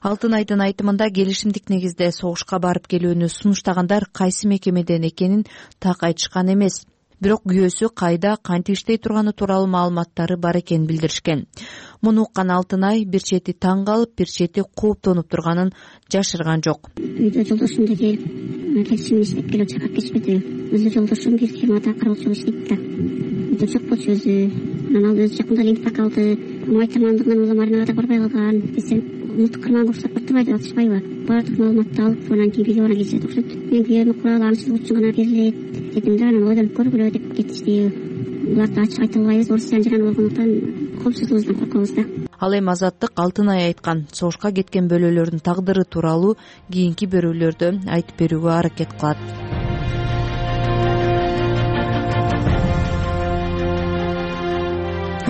Алтынайдын айтымында келишимдик негизде согушка барып келүүнү сунуштагандар кайсы мекемеден экенин так айтышкан эмес. Бирок күйөөсү кайда, кантип иштей турганы тууралуу маалыматтары бар экенин билдиришкен. Муну уккан Алтынай бир чети таң калып, бир чети кооптонуп турганын жашырган жок. Үйдө жолдошум да келип, келишимин иштеп келип чакырып кетишпеди. Өзү жолдошум бир фирмада кароочу иштейт да. Үйдө жок болчу өзү. Анан ал өзү жакында лимфак алды. Май тамандыгынан улам арнага барбай калган. Десем, мылтык кырман курсап турбайбы деп атышпайбы? Баардык маалыматты алып, анан кийин видеоно кетишет окшойт. Мен күйөөмө курал анчылык үчүн гана берилет дедим да, анан ойдонуп көргүлө деп кетишти. Буларды ачык айта албайбыз, Орусиянын жараны болгондуктан коопсуздугубуздан коркобуз да. Ал эми Азаттык Алтынай айткан согушка кеткен бөлөлөрдүн тагдыры тууралуу кийинки берүүлөрдө айтып берүүгө аракет кылат.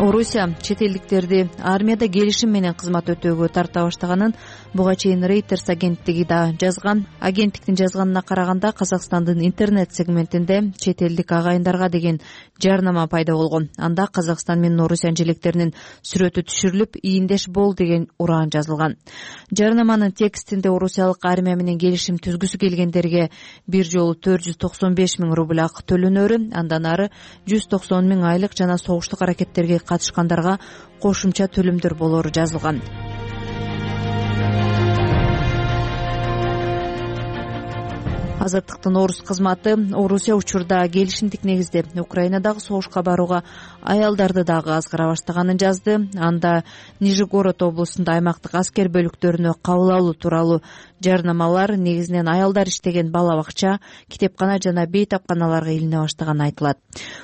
Орусия чет элдиктерди армияда келишим менен кызмат өтөөгө тарта баштаганын буга чейин Reuters агенттиги да жазган. Агенттиктин жазганына караганда Казакстандын интернет сегментинде чет элдик агайындарга деген жарнама пайда болгон. Анда Казакстан менен Орусиянын желектеринин сүрөтү түшүрүлүп, ийиндеш бол деген ураан жазылган. Жарнаманын текстинде орусиялык армия менен келишим түзгүсү келгендерге бир жолу 495 000 рубль акы төлөнөрү, андан ары 190 000 айлык жана согуштук аракеттерге катышкандарга кошумча төлөмдөр болору жазылган. Азаттыктын орус кызматы Орусия учурда келишимдик негизде Украинадагы согушка барууга аялдарды дагы азгыра баштаганын жазды. Анда Нижегород облусунда аймактык аскер бөлүктөрүнө кабыл алуу тууралуу жарнамалар негизинен аялдар иштеген бала бакча, китепкана жана бейтапканаларга илине баштаганы айтылат.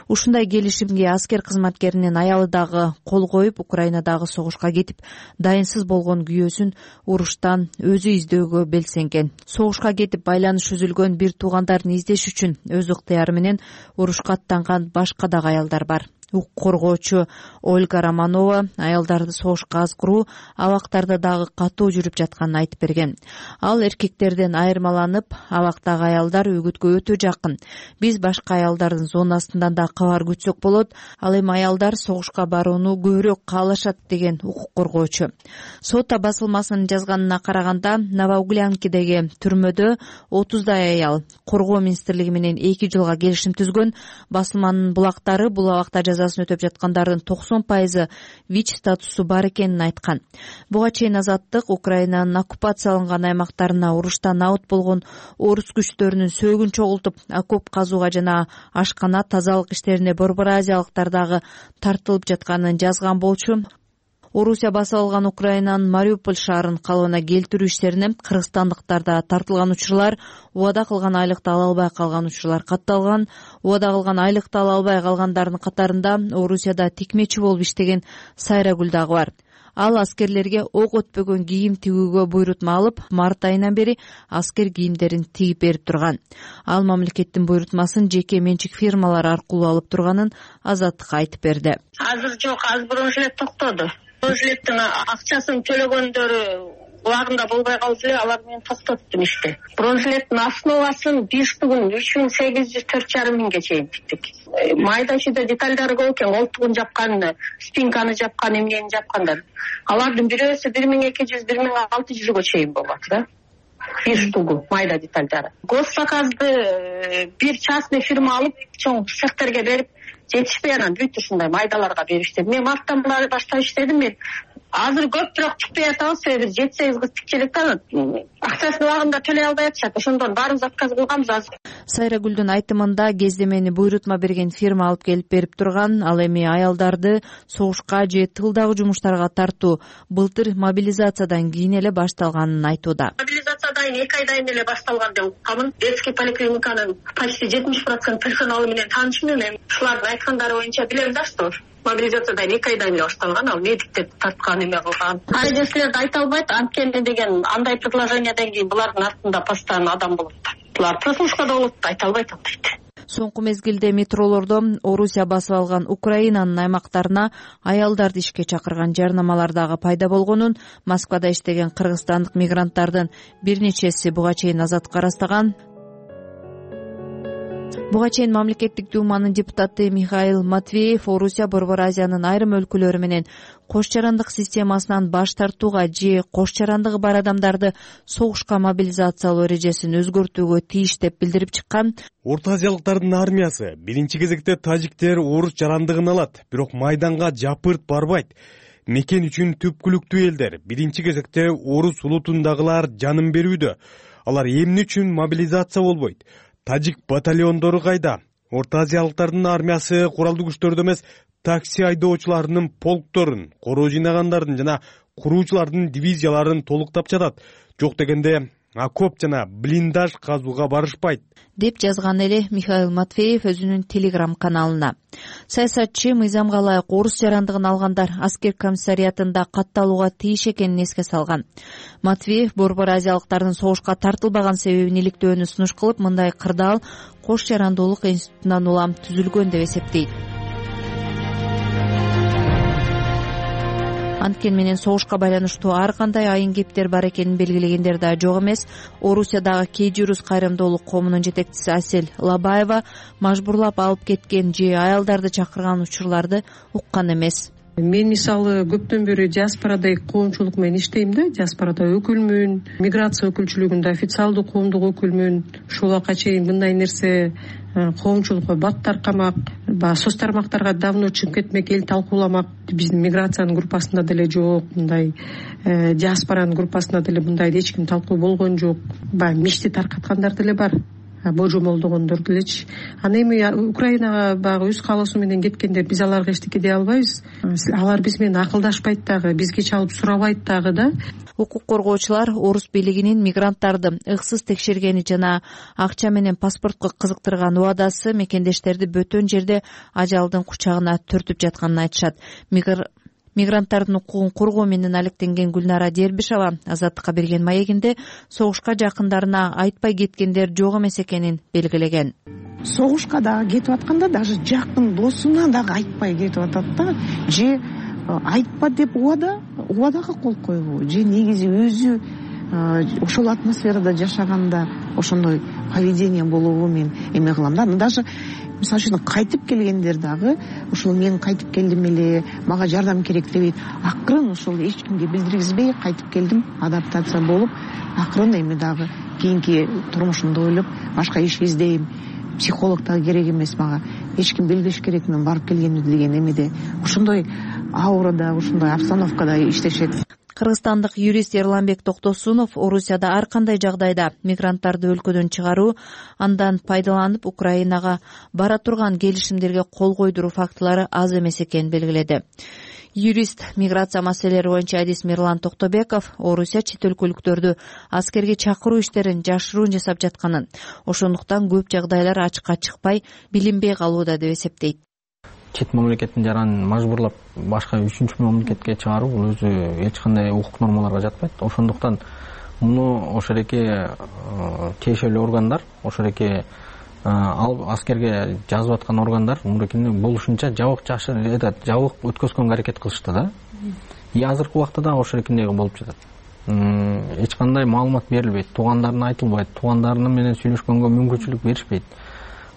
Ушундай келишимге аскер кызматкеринин аялы дагы кол коюп, Украинадагы согушка кетип, дайынсыз болгон күйөөсүн уруштан өзү издөөгө белсенген. Согушка кетип байланыш үзүлгөн бир туугандарын издеш үчүн өз ыктыяры менен урушка аттанган башка дагы аялдар бар. Укук коргоочу Ольга Романова аялдарды согушка азгыруу абактарда дагы катуу жүрүп жатканын айтып берген. Ал эркектерден айырмаланып, абактагы аялдар үгүткө өтө жакын. Биз башка аялдардын зонасынан да кабар күтсөк болот. Ал эми аялдар согушка барууну көбүрөөк каалашат деген укук коргоочу. Сот басылмасынын жазганына караганда, Новоуглянкидеги түрмөдө 30дай аял коргоо министрлиги менен 2 жылга келишим түзгөн. Басылманын булактары бул абакта жазасын өтөп жаткандардын 90% ВИЧ статусу бар экенин айткан. Буга чейин Азаттык Украинанын оккупацияланган аймактарына уруштан абут болгон орус күчтөрүнүн сөөгүн чогултуп, окоп казууга жана ашкана тазалык иштерине борбор азиялыктар дагы тартылып жатканын жазган болчу. Орусия басып алган Украинанын Мариуполь шаарын калыбына келтирүү иштерине кыргызстандыктарда тартылган учурлар, убада кылган айлыкты ала албай калган учурлар катталган. Убада кылган айлыкты ала албай калгандардын катарында Орусияда тикмечи болуп иштеген Сайрагүл дагы бар. Ал аскерлерге ок өтпөгөн кийим тигүүгө буйрутма алып, март айынан бери аскер кийимдерин тигип берип турган. Ал мамлекеттин буйрутмасын жеке менчик фирмалар аркылуу алып турганын Азаттыкка айтып берди. Азыр жок, азыр бұрын эле токтоду. Бұрын элеттин акчасын төлөгөндөрү убагында болбой калды эле, алар менен токтоттум ишти. Бронзлеттин основасын бирштигин 3804,5 миңге чейин тиктик. Майда чүйдө детальдары көп экен, колтугун жапкан, спинканы жапкан, эмнени жапкандар. Алардын бирөөсү 1200-1600 чейин болот да. Бир штугу майда детальдары. Госзаказды бир частный фирма алып, чоң цехтерге берип, жетишпей анан бүт ушундай майдаларга беришти. Мен марттан баштап иштедим, мен азыр көп бирок тикпей атабыз, себеби 7-8 кыз тикчелик да, акчасын убагында төлөй албай атышат. Ошондон баарыбыз отказ кылганбыз азыр. Сайрагүлдүн айтымында кездемени буйрутма берген фирма алып келип берип турган, ал эми аялдарды согушка же тылдагы жумуштарга тартуу былтыр мобилизациядан кийин эле башталганын айтууда. Мобилизациядан 2 айдан эле башталган деп укканмын. Детский поликлиниканын почти 70% персоналы менен таанышмын. Эми ушулардын айткандары боюнча билем да, что мобилизациядан 2 айдан эле башталган, ал медиктер тарткан, эме кылган. Айдеслерди айта албайт, анткени деген андай предложениядан кийин булардын артында постоянно адам болот. Булар прослушкада болот, айта албайт дейт. Соңку мезгилде метролордо Орусия басып алган Украинанын аймактарына аялдарды ишке чакырган жарнамалар дагы пайда болгонун, Москвада иштеген кыргызстандык мигранттардын бир нечеси буга чейин азаттыкка ырастаган. Буга чейин мамлекеттик думанын депутаты Михаил Матвеев Орусия Борбор Азиянын айрым өлкөлөрү менен кош жарандык системасынан баш тартууга же кош жарандыгы бар адамдарды согушка мобилизациялоо эрежесин өзгөртүүгө тийиш деп билдирип чыккан. Орто азиялыктардын армиясы биринчи кезекте тажиктер орус жарандыгын алат, бирок майданга жапырт барбайт. Мекен үчүн түпкүлүктүү элдер биринчи кезекте орус улутундагылар жанын берүүдө. Алар эмне үчүн мобилизация болбойт? Тажик батальондору кайда? Орто азиялыктардын армиясы куралдуу күчтөрдө эмес, такси айдоочуларынын полкторун, короо жыйнагандардын жана куруучулардын дивизияларын толуктап жатат. Жок дегенде окоп жана блиндаж казууга барышпайт, деп жазган эле Михаил Матвеев өзүнүн Telegram каналына. Саясатчы мыйзамга ылайык орус жарандыгын алгандар аскер комиссариятында катталууга тийиш экенин эске салган. Матвеев Борбор азиялыктардын согушка тартылбаган себебин иликтөөнү сунуш кылып, мындай кырдаал кош жарандуулук институтунан улам түзүлгөн деп эсептейт. Анткени менен согушка байланыштуу ар кандай айын кептер бар экенин белгилегендер да жок эмес. Орусиядагы кей журус кайрымдуулук коомунун жетекчиси Асель Лабаева мажбурлап алып кеткен же аялдарды чакырган учурларды уккан эмес. Мен мисалы көптөн бери диаспорада коомчулук менен иштейм да, диаспорада өкүлмүн, миграция өкүлчүлүгүндө официалдуу коомдук өкүлмүн. Ушул убакка чейин мындай нерсе коомчулукка бат таркамак, соц тармактарга давно чыгып кетмек, эл талкууламак. Биздин миграциянын группасында деле жок, мындай диаспоранын группасында деле мындай эч ким талкуу болгон жок. Баягы мишти таркаткандар деле бар, божомолдогондор делечи. Аны эми Украинага баягы өз каалоосу менен кеткендер, биз аларга эчтеке дей албайбыз. Алар биз менен акылдашпайт дагы, бизге чалып сурабайт дагы да. Укук коргоочулар орус бийлигинин мигранттарды ыксыз текшергени жана акча менен паспортко кызыктырган убадасы мекендештерди бөтөн жерде ажалдын кучагына түртүп жатканын айтышат. Мигранттардын укугун коргоо менен алектенген Гүлнара Дербишова Азаттыкка берген маегинде согушка жакындарына айтпай кеткендер жок эмес экенин белгилеген. Согушка дагы кетип атканда даже жакын досуна дагы айтпай кетип атат да, же айтпа деп убадага кол койбу, же негизи өзү ошол атмосферада жашаганда ошондой поведение болобу, мен эме кылам да. Даже мисалы үчүн кайтып келгендер дагы ушул мен кайтып келдим эле, мага жардам керек дебейт. Акырын ушул эч кимге билдиргизбей кайтып келдим, адаптация болуп, акырын эми дагы кийинки турмушумду ойлоп башка иш издейм. Психолог дагы керек эмес мага, эч ким билбеш керек мен барып келгенимди деген эмеде. Ошондой аурада, ошондой обстановкада иштешет. Кыргызстандык юрист Эрланбек Токтосунов Орусияда ар кандай жагдайда мигранттарды өлкөдөн чыгаруу, андан пайдаланып Украинага бара турган келишимдерге кол койдуруу фактылары аз эмес экенин белгиледи. Юрист миграция маселелери боюнча адис Мирлан Токтобеков Орусия чет өлкөлүктөрдү аскерге чакыруу иштерин жашыруун жасап жатканын, ошондуктан көп жагдайлар ачыкка чыкпай, билинбей калууда деп эсептейт. Чет мамлекеттин жаранын мажбурлап башка үчүнчү мамлекетке чыгаруу бул өзү эч кандай укук нормаларга жатпайт. Ошондуктан муну ошол эки тиешелүү органдар, ошол эки алып аскерге жазып аткан органдар мурекени болушунча жабык өткөзгөнгө аракет кылышты да. И азыркы убакта да ошол экендей болуп жатат. эч кандай маалымат берилбейт, туугандарына айтылбайт, туугандарына менен сүйлөшкөнгө мүмкүнчүлүк беришпейт.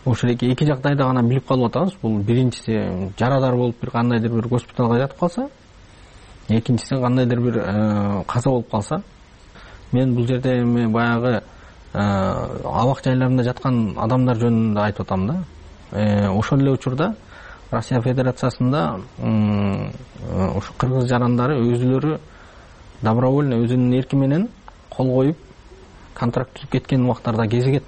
Ошол эки жагдайда гана билип калып атабыз. Бул биринчиси жарадар болуп бир кандайдыр бир госпиталга жатып калса, экинчиси кандайдыр бир каза болуп калса. Мен бул жерде эми баягы абак жайларында жаткан адамдар жөнүндө айтып атам да. Ошол эле учурда Россия Федерациясында ушу кыргыз жарандары өзүлөрү добровольно өзүнүн эрки менен кол коюп контракт түзүп кеткен убактарда кезигет.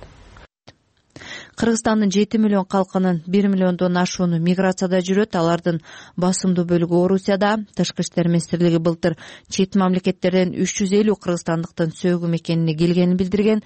Кыргызстандын 7 миллион калкынын 1 миллиондон ашууну миграцияда жүрөт. Алардын басымдуу бөлүгү Орусияда. Тышкы иштер министрлиги былтыр чет мамлекеттерден 350 кыргызстандыктын сөөгүм экенине келгенин билдирген.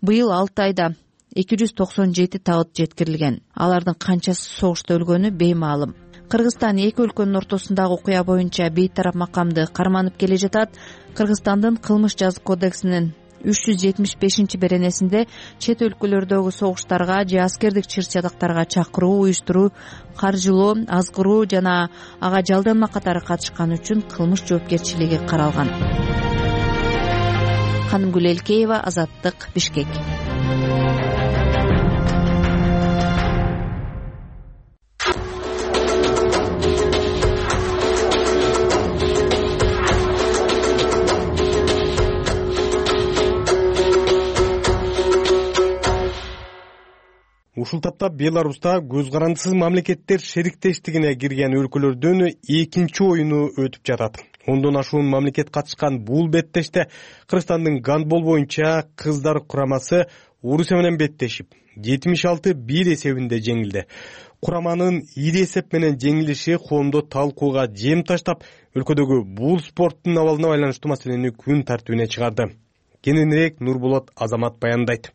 Быйыл 6 айда 297 табыт жеткирилген. Алардын канчасы согушта өлгөнү беймаалым. Кыргызстан эки өлкөнүн ортосундагы окуя боюнча бейтарап макамды карманып келе жатат. Кыргызстандын кылмыш жазык кодексинин 375-беренесинде чет өлкөлөрдөгү согуштарга же аскердик чыр-чатактарга чакыруу, уюштуруу, каржылоо, азгыруу жана ага жалданма катары катышкан үчүн кылмыш жоопкерчилиги каралган. Ханымгүл Элкеева, Азаттык, Бишкек. Ушул тапта Беларуста көз карандысыз мамлекеттер шериктештигине кирген өлкөлөрдүн экинчи оюну өтүп жатат. 10дон ашуун мамлекет катышкан бул беттеште Кыргызстандын гандбол боюнча кыздар курамасы Орусия менен беттешип 76-1 эсебинде жеңилди. Кураманын ири эсеп менен жеңилиши коомдо талкууга жем таштап, өлкөдөгү бул спорттун абалына байланыштуу маселени күн тартибине чыгарды. Кененирээк Нурболот Азамат баяндайт.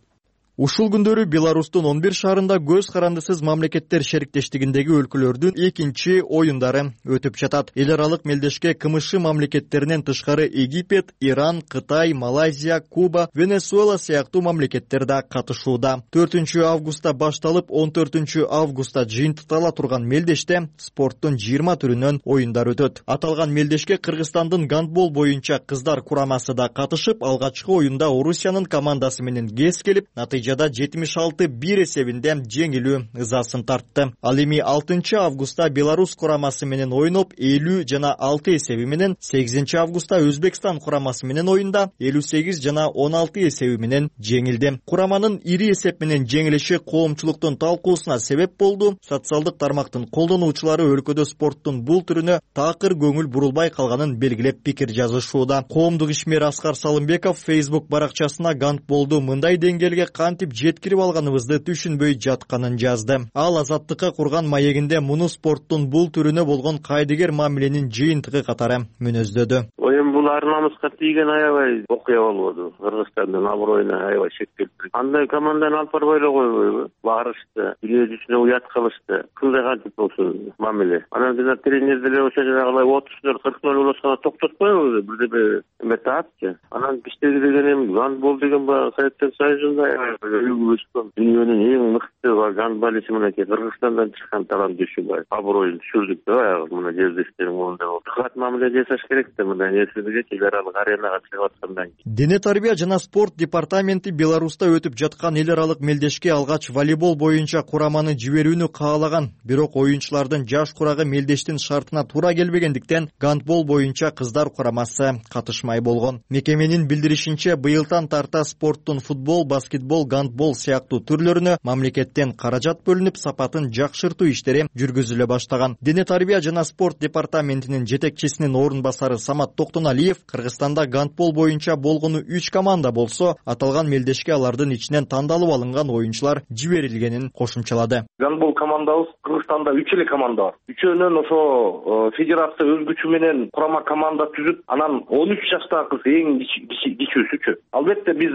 Ушул күндөрү Беларустун 11 шаарында көз карандысыз мамлекеттер шериктештигиндеги өлкөлөрдүн экинчи оюндары өтүп жатат. Эл аралык мелдешке КМШ мамлекеттеринен тышкары Египет, Иран, Кытай, Малайзия, Куба, Венесуэла сыяктуу мамлекеттер да катышууда. 4 августта башталып 14 августта жыйынтыктала турган мелдеште спорттун 20 түрүнөн оюндар өтөт. Аталган мелдешке Кыргызстандын гандбол боюнча кыздар курамасы да катышып, алгачкы оюнда Орусиянын командасы менен кез келип, натыйжада 76-1 эсебинде жеңилүү ызасын тартты. Ал эми 6 августта Беларусь курамасы менен ойноп 50 жана 6 эсеби менен, 8 августта Өзбекстан курамасы менен оюнда 58 жана 16 эсеби менен жеңилди. Кураманын ири эсеп менен жеңилиши коомчулуктун талкуусуна себеп болду. Социалдык тармактын колдонуучулары өлкөдө спорттун бул түрүнө такыр көңүл бурулбай калганын белгилеп пикир жазышууда. Коомдук ишмер Аскар Салымбеков Facebook баракчасына гандболду мындай деңгээлге кантип жеткирип алганыбызды түшүнбөй жатканын жазды. Ал Азаттыкка курган маегинде муну спорттун бул түрүнө болгон кайдыгер мамиленин жыйынтыгы катары мүнөздөдү. Эми бул ар намыска тийген аябай окуя болбоду. Кыргызстандын аброюна аябай шек келтирди. Андай команданы алып барбай эле койбойбу? Барышты, биле жүзүнө уят кылышты. Кылдай кантип болсун мамиле. Анан жана тренер деле ошо жанагылай 30-40 болсо токтотпойбу? Бирдеме эме таапчы. Анан биздеги деген эми гандбол деген баягы Советтер Союзунда дүйнөнүн эң мыкты гандболисти Кыргызстандан чыккан талант düşүбай. Аброюн түшүрдүк да баягы мына жердештериң моундай болду. Кат мамиле жасаш керек да мындай нерселерге эл аралык аренага чыгып аткандан кийин. Дене тарбия жана спорт департаменти Беларуста өтүп жаткан эл аралык мелдешке алгач волейбол боюнча кураманы жиберүүнү каалаган. Бирок оюнчулардын жаш курагы мелдештин шартына туура келбегендиктен гандбол боюнча кыздар курамасы катышмай болгон. Мекеменин билдиришинче, быйылдан тарта спорттун футбол, баскетбол, гандбол сыяктуу түрлөрүнө мамлекеттен каражат бөлүнүп, сапатын жакшыртуу иштери жүргүзүлө баштаган. Дене тарбия жана спорт департаментинин жетекчисинин орун басары Самат Токтоналиев Кыргызстанда гандбол боюнча болгону 3 команда болсо, аталган мелдешке алардын ичинен тандалып алынган оюнчулар жиберилгенин кошумчалады. Гандбол командабыз Кыргызстанда 3 эле команда бар. Үчөөнөн ошо федерация өз күчү менен курама команда түзүп, анан 13 жаштагы кыз эң кичүүсүчү. Албетте биз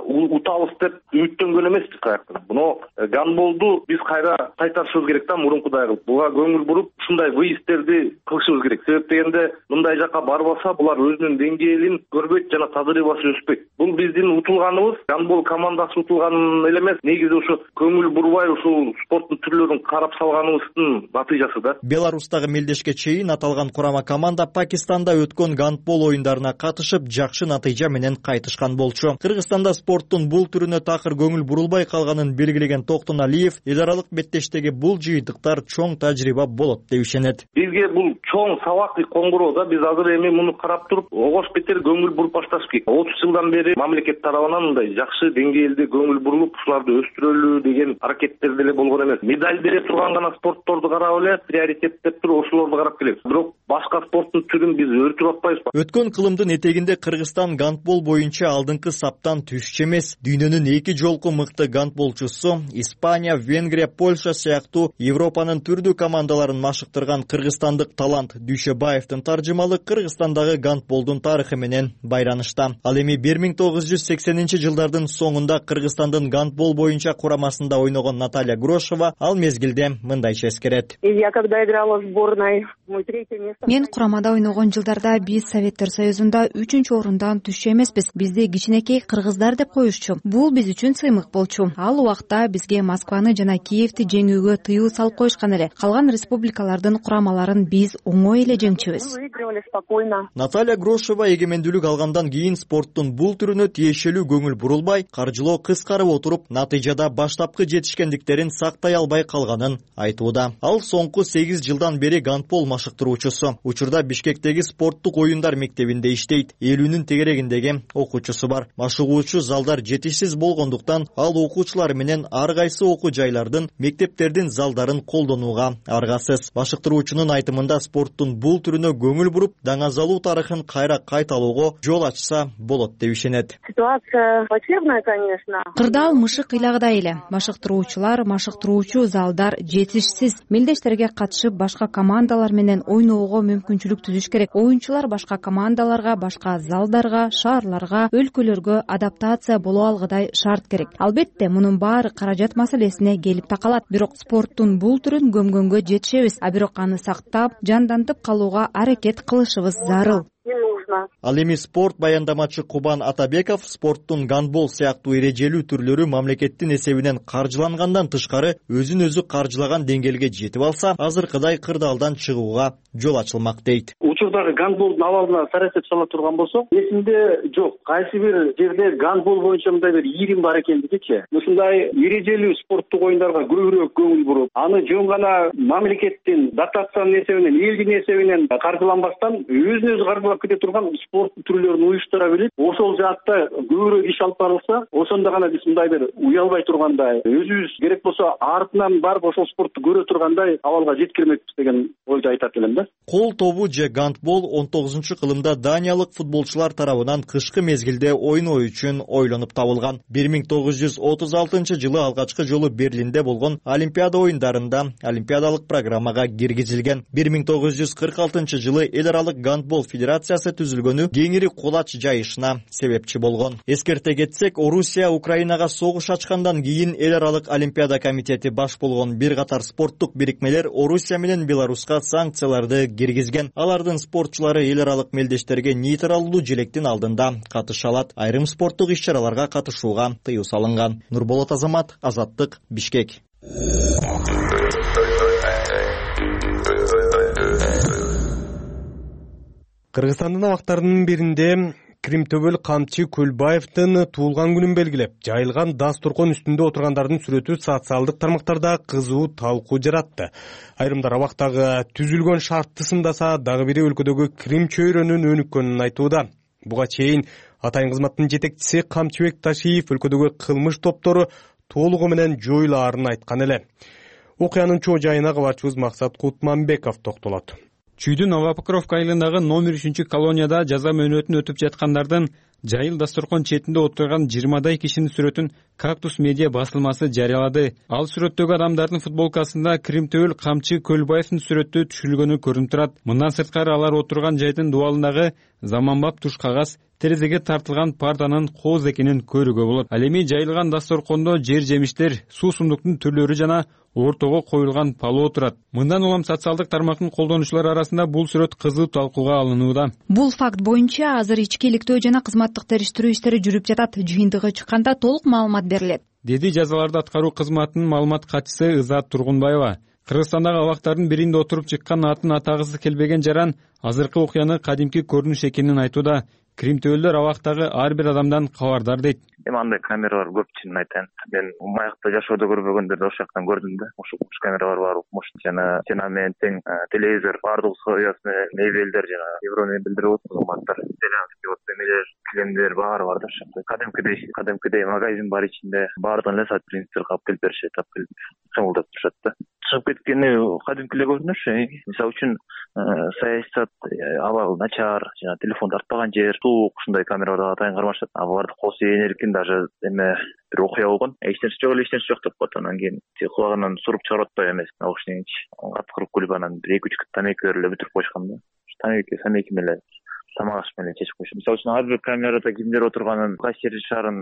утабыз деп үмүттөнгөн эмеспиз каяктан. Буну гандболду биз кайра кайтарышыбыз керек да, мурункудай кылып. Буга көңүл буруп, ушундай выезддерди кылышыбыз керек. Себеп дегенде мындай жака барбаса, бул булар өзүнүн деңгээлин көрбөйт жана тажрыйбасы өспөйт. Бул биздин утулганыбыз, гандбол командасы утулган эле эмес, негизи ушу көңүл бурбай ушул спорттун түрлөрүн карап салганыбыздын натыйжасы да. Беларустагы мелдешке чейин аталган курама команда Пакистанда өткөн гандбол оюндарына катышып, жакшы натыйжа менен кайтышкан болчу. Кыргызстанда спорттун бул түрүнө такыр көңүл бурулбай калганын белгилеген Токтон Алиев, эл аралык беттештеги бул жыйынтыктар чоң тажрыйба болот деп ишенет. Бизге бул чоң сабак коңгуроо да, биз азыр эми муну карап туруп, огош бетер көңүл буруп башташ керек. 30 жылдан бери мамлекет тарабынан мындай жакшы деңгээлде көңүл бурулуп, ушуларды өстүрөлү деген аракеттер деле болгон эмес. Медаль бере турган гана спортторду карап эле приоритет деп туруп ошолорду карап келебиз. Бирок башка спорттун түрүн биз өртүп атпайбызбы? Өткөн кылымдын этегинде Кыргызстан гандбол боюнча алдыңкы саптан түшчү эмес. Дүйнөнүн 2 жолку мыкты гандболчусу, Испания, Венгрия, Польша сыяктуу Европанын түрдүү командаларын машыктырган кыргызстандык талант Дүйшөбаевдин таржымалы Кыргызстандагы гандболдун тарыхы менен байранышта. Ал эми 1980-жылдардын соңунда Кыргызстандын гандбол боюнча курамасында ойногон Наталья Грошева ал мезгилде мындайча эскерет. Я когда играла в сборной, мой третье место. Мен курамада ойногон жылдарда биз Советтер Союзунда 3-орундан түшчү эмеспиз. Бизди кичинекей кыргыздар деп коюшчу. Бул биз үчүн сыймык болчу. Ал убакта бизге Москваны жана Киевти жеңүүгө тыюу салып коюшкан эле. Калган республикалардын курамаларын биз оңой эле жеңчүбүз. Наталья Грошева эгемендүүлүк алгандан кийин спорттун бул түрүнө тиешелүү көңүл бурулбай, каржылоо кыскарып отуруп, натыйжада баштапкы жетишкендиктерин сактай албай калганын айтууда. Ал соңку 8 жылдан бери гандбол машыктыруучусу. Учурда Бишкектеги спорттук оюндар мектебинде иштейт. 50-нын тегерегиндеги окуучусу бар. Машыгуучу залдар жетишсиз болгондуктан ал окуучулар менен ар кайсы окуу жайлардын, мектептердин залдарын колдонууга аргасыз. Машыктыруучунун айтымында спорттун бул түрүнө көңүл буруп, даңазалуу тарыхын кайра кайталоого жол ачса болот деп ишенет. Ситуация плачевная, конечно. Кырдаал мышык ыйлагыдай эле. Машыктыруучулар, машыктыруучу залдар жетишсиз. Мелдештерге катышып, башка командалар менен ойноого мүмкүнчүлүк түзүш керек. Оюнчулар башка командаларга, башка залдарга, шаарларга, өлкөлөргө адаптация боло алгыдай шарт керек. Албетте, мунун баары каражат маселесине келип такалат. Бирок спорттун бул түрүн көмгөнгө жетишебиз. А бирок аны сактап, жандантып калууга аракет кылышыбыз зарыл. Ал эми спорт баяндамачы Кубан Атабеков спорттун гандбол сыяктуу эрежелүү түрлөрү мамлекеттин эсебинен каржылангандан тышкары өзүн өзү каржылаган деңгээлге жетип алса, азыркыдай кырдаалдан чыгууга жол ачылмак дейт. Учурдагы гандболдун абалына сарасеп сала турган болсок, эсимде жок. Кайсы бир жерде гандбол боюнча мындай бир ийрим бар экендигичи. Ушундай эрежелүү спорттук оюндарга көбүрөөк көңүл буруп, аны жөн гана мамлекеттин дотациянын эсебинен, элдин эсебинен каржыланбастан өзүн өзү каржылап кете турган спорт түрлөрүн уюштура билип, ошол жаатта көбүрөөк иш алып барылса, ошондо гана биз мындай бир уялбай тургандай, өзүбүз керек болсо артынан барып ошол спортту көрө тургандай абалга жеткирмекпиз деген ойду айтат элем да. Кол тобу же гандбол 19-кылымда даниялык футболчулар тарабынан кышкы мезгилде ойноо үчүн ойлонуп табылган. 1936-жылы алгачкы жолу Берлинде болгон Олимпиада оюндарында олимпиадалык программага киргизилген. 1946-жылы эл аралык гандбол федерациясы түзүлгөнү кеңири кулач жайышына себепчи болгон. Эскерте кетсек, Орусия Украинага согуш ачкандан кийин эл аралык олимпиада комитети баш болгон бир катар спорттук бирикмелер Орусия менен Беларуска санкцияларды киргизген. Алардын спортчулары эл аралык мелдештерге нейтралдуу желектин алдында катыша алат. Айрым спорттук иш-чараларга катышууга тыюу салынган. Нурболот Азамат, Азаттык, Бишкек. Кыргызстандын абактарынын биринде Кримтөбөл Камчы Көлбаевдин туулган күнүн белгилеп, жайылган дасторкон үстүндө отургандардын сүрөтү социалдык тармактарда кызуу талкуу жаратты. Айрымдар абактагы түзүлгөн шартты сындаса, дагы бири өлкөдөгү Крим чөйрөнүн өнүккөнүн айтууда. Буга чейин атайын кызматтын жетекчиси Камчыбек Ташиев өлкөдөгү кылмыш топтору толугу менен жоюлаарын айткан эле. Окуянын чоо жайына кабарчыбыз Максат Кутманбеков токтолот. Чүйдүн Новопокровка айылындагы номер 3-колонияда жаза мөөнөтүн өтүп жаткандардын жайыл дасторкон четинде отурган 20дай кишинин сүрөтүн Кактус медиа басылмасы жарыялады. Ал сүрөттөгү адамдардын футболкасында Кримтөбөл Камчы Көлбаевдин сүрөтү түшүрүлгөнү көрүнүп турат. Мындан сырткары алар отурган жайдын дубалындагы заманбап туш кагаз, терезеге тартылган партанын кооз экенин көрүүгө болот. Ал эми жайылган дасторкондо жер жемиштер, суусундуктун түрлөрү жана ортого коюлган палоо турат. Мындан улам социалдык тармактын колдонуучулары арасында бул сүрөт кызуу талкууга алынууда. Бул факт боюнча азыр ички иликтөө жана кызматтык териштирүү иштери жүрүп жатат. Жыйынтыгы чыкканда толук маалымат берилет, деди жазаларды аткаруу кызматынын маалымат катчысы Ызаат Тургунбаева. Кыргызстандагы абактардын биринде отуруп чыккан атын атагысы келбеген жаран азыркы окуяны кадимки көрүнүш экенин айтууда. Кримтөөлдөр абактагы ар бир адамдан кабардар дейт. Эми андай камералар көп, чынын айтайын. Мен маякта жашоодо көрбөгөндөрдү ошол жактан көрдүм да. Ошол камералар бар, укмуш жана стенамен тең телевизор, бардык условиясы менен мебелдер жана евромебелдер болот, кызматтар, итальянский вот эмелер, килемдер баары бар да ошол. Кадимкидей магазин бар ичинде, баардыгын эле сайт принциптер калып келип беришет, алып келип чыңылдап турушат да. Чыгып кеткени кадимки эле көрүнүш. Мисалы үчүн саясат абалы начар, жана телефон тартпаган жер, суук, ушундай камераларга атайын кармашат. Аларды косо энеркин даже эме бир окуя болгон. Эчтенеси жок деп коет. Анан кийин кулагынан суруп чыгарып атпайбы эмес. Наушнигин аткырып куруп анан 1-2 тамеки эле бүтүрүп койушкан да. Тамеки менен тамак аш менен чечип коюш. Мисалы үчүн ар бир камерада кимдер отурганын, кайсы жерде жашаарын,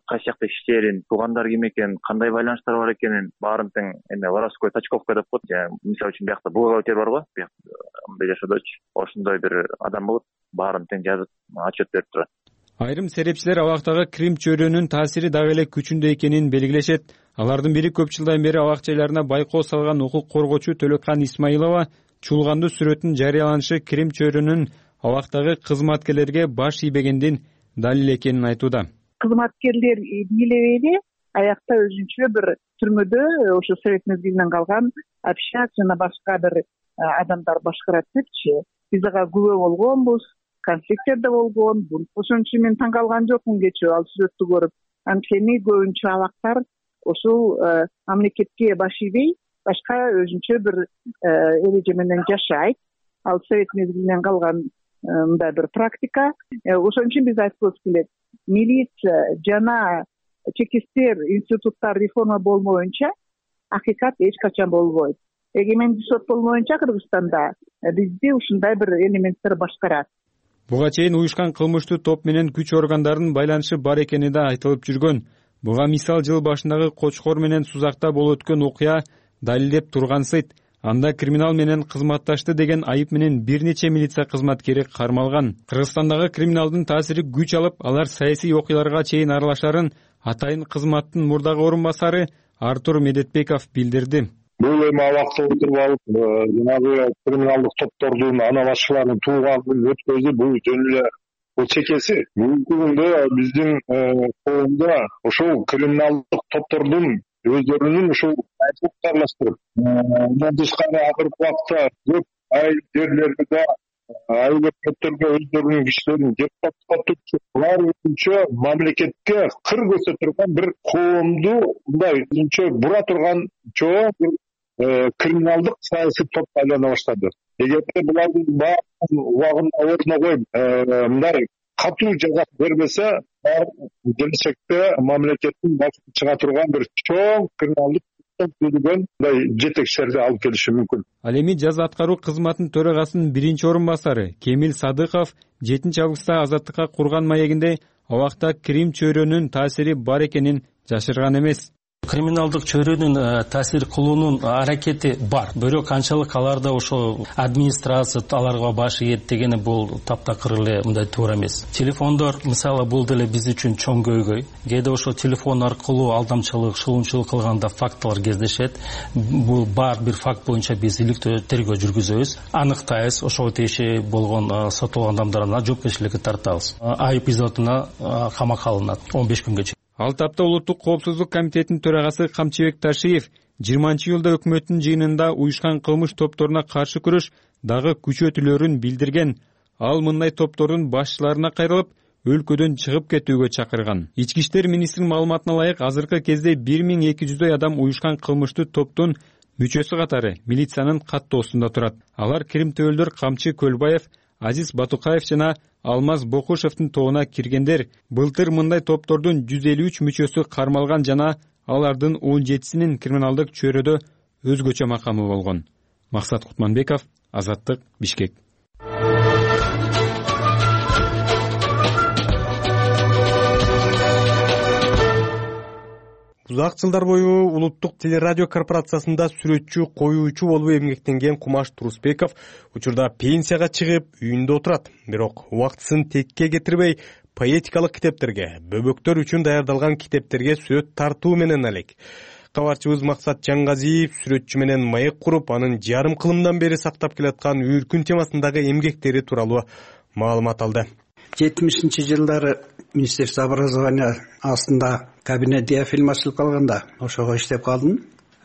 кайсы жакта иштерин, туугандар ким экен, кандай байланыштар бар экенин баарын тең эме воровской точковка деп коет. Мисалы үчүн биякта бухгалтер бар го, мындай жашоодочу. Ошондой бир адам болот, баарын тең жазып отчет берип турат. Айрым серепчилер абактагы крим чөйрөнүн таасири дагы эле күчүндө экенин белгилешет. Алардын бири көп жылдан бери абак жайларына байкоо салган укук коргоочу Төлөккан Исмаилова чуулгандуу сүрөттүн жарыяланышы крим чөйрөнүн абактагы кызматкерлерге баш ийбегендин далил экенин айтууда. Кызматкерлер бийлебейли, аякта өзүнчө бир түрмөдө ошо совет мезгилинен калган общак жана башка бир адамдар башкарат депчи. Биз ага күбө болгонбуз, конфликттер да болгон. Ошон үчүн мен таң калган жокмун кечээ ал сүрөттү көрүп. Анткени көбүнчө абактар ушул мамлекетке баш ийбей, башка өзүнчө бир эреже менен жашайт. Ал совет мезгилинен калган мындай бир практика. Ошон үчүн биз айткыбыз келет, милиция жана чечки иштер институттар реформа болмоюнча акыйкат эч качан болбойт. Эгемендүү сот болмоюнча Кыргызстанда бизди ушундай бир элементтер башкарат. Буга чейин уюшкан кылмыштуу топ менен күч органдарынын байланышы бар экени да айтылып жүргөн. Буга мисал жыл башындагы Кочкор менен Сузакта болуп өткөн окуя далилдеп тургансыйт. Анда криминал менен кызматташты деген айып менен бир нече милиция кызматкери кармалган. Кыргызстандагы криминалдын таасири күч алып, алар саясий окуяларга чейин аралашарын атайын кызматтын мурдагы орун басары Артур Медетбеков билдирди. Бул эми абакта отуруп алып, жанагы криминалдык топтордун ана башчыларынын тууганын өткөзүп, бул жөн эле бул чекеси. Бүгүнкү күндө биздин коомдо ошол криминалдык топтордун өздөрүнүн ушул айыптылык аралаштырып, мындан тышкары акыркы убакта көп айыл жерлерде айыл өкмөттөргө өздөрүнүн кишилерин депутаттыкка булар өзүнчө мамлекетке кыр көрсөтүргөн бир коомду мындай өзүнчө бура турган чоң бир криминалдык саясий топко айлана баштады. Эгерде булардын баарын убагында ордуна коюп мындай катуу жаза бербесе, келечекте мамлекеттин башына чыга турган бир чоң криминалдык мындай жетекчилерди алып келиши мүмкүн. Ал эми жаза аткаруу кызматынын төрагасынын биринчи орун басары Кемил Садыков 7 августта Азаттыкка курган маегинде абакта крим чөйрөнүн таасири бар экенин жашырган эмес. Криминалдык чөйрөнүн таасир кылуунун аракети бар. Бирок канчалык аларда ошо администрация аларга баш ийет дегени бул таптакыр эле мындай туура эмес. Телефондор мисалы бул деле биз үчүн чоң көйгөй. Кээде ошо телефон аркылуу алдамчылык, шылуунчулук кылганда фактылар кездешет. Бул бар бир факт боюнча биз иликтөө тергөө жүргүзөбүз, аныктайбыз, ошого тиешелүү болгон сотолгон адамдарына жоопкерчиликке тартабыз. Айып изотуна камакка алынат 15 күнгө. Ал тапта Улуттук коопсуздук комитетинин төрагасы Камчыбек Ташиев 20-жылда өкмөттүн жыйынында уюшкан кылмыш топторуна каршы күрөш дагы күчөтүлөрүн билдирген. Ал мындай топтордун башчыларына кайрылып, өлкөдөн чыгып кетүүгө чакырган. Ички иштер министринин маалыматына ылайык, азыркы кезде 1200 адам уюшкан кылмыштуу топтун мүчөсү катары милициянын каттоосунда турат. Алар кримтөөлдөр Камчы Көлбаев, Азиз Батукаев жана Алмаз Бокушевдин тобуна киргендер. Былтыр мындай топтордун 153 мүчөсү кармалган жана алардын 17синин криминалдык чөйрөдө өзгөчө макамы болгон. Максат Кутманбеков, Азаттык, Бишкек. узак жылдар бою улуттук телерадио корпорациясында сүрөтчү, коюучу болуп эмгектенген Кумаш Турусбеков учурда пенсияга чыгып үйүндө отурат. Бирок убактысын текке кетирбей, поэтикалык китептерге, бөбөктөр үчүн даярдалган китептерге сүрөт тартуу менен элек. Кабарчыбыз Максат Жаңгазиев сүрөтчү менен маек куруп, анын жарым кылымдан бери сактап келаткан Үйүркүн темасындагы эмгектери тууралуу маалымат алды. 70-жылдары Министерство образования астында кабинет диафильм ачылып калганда ошого иштеп калдым.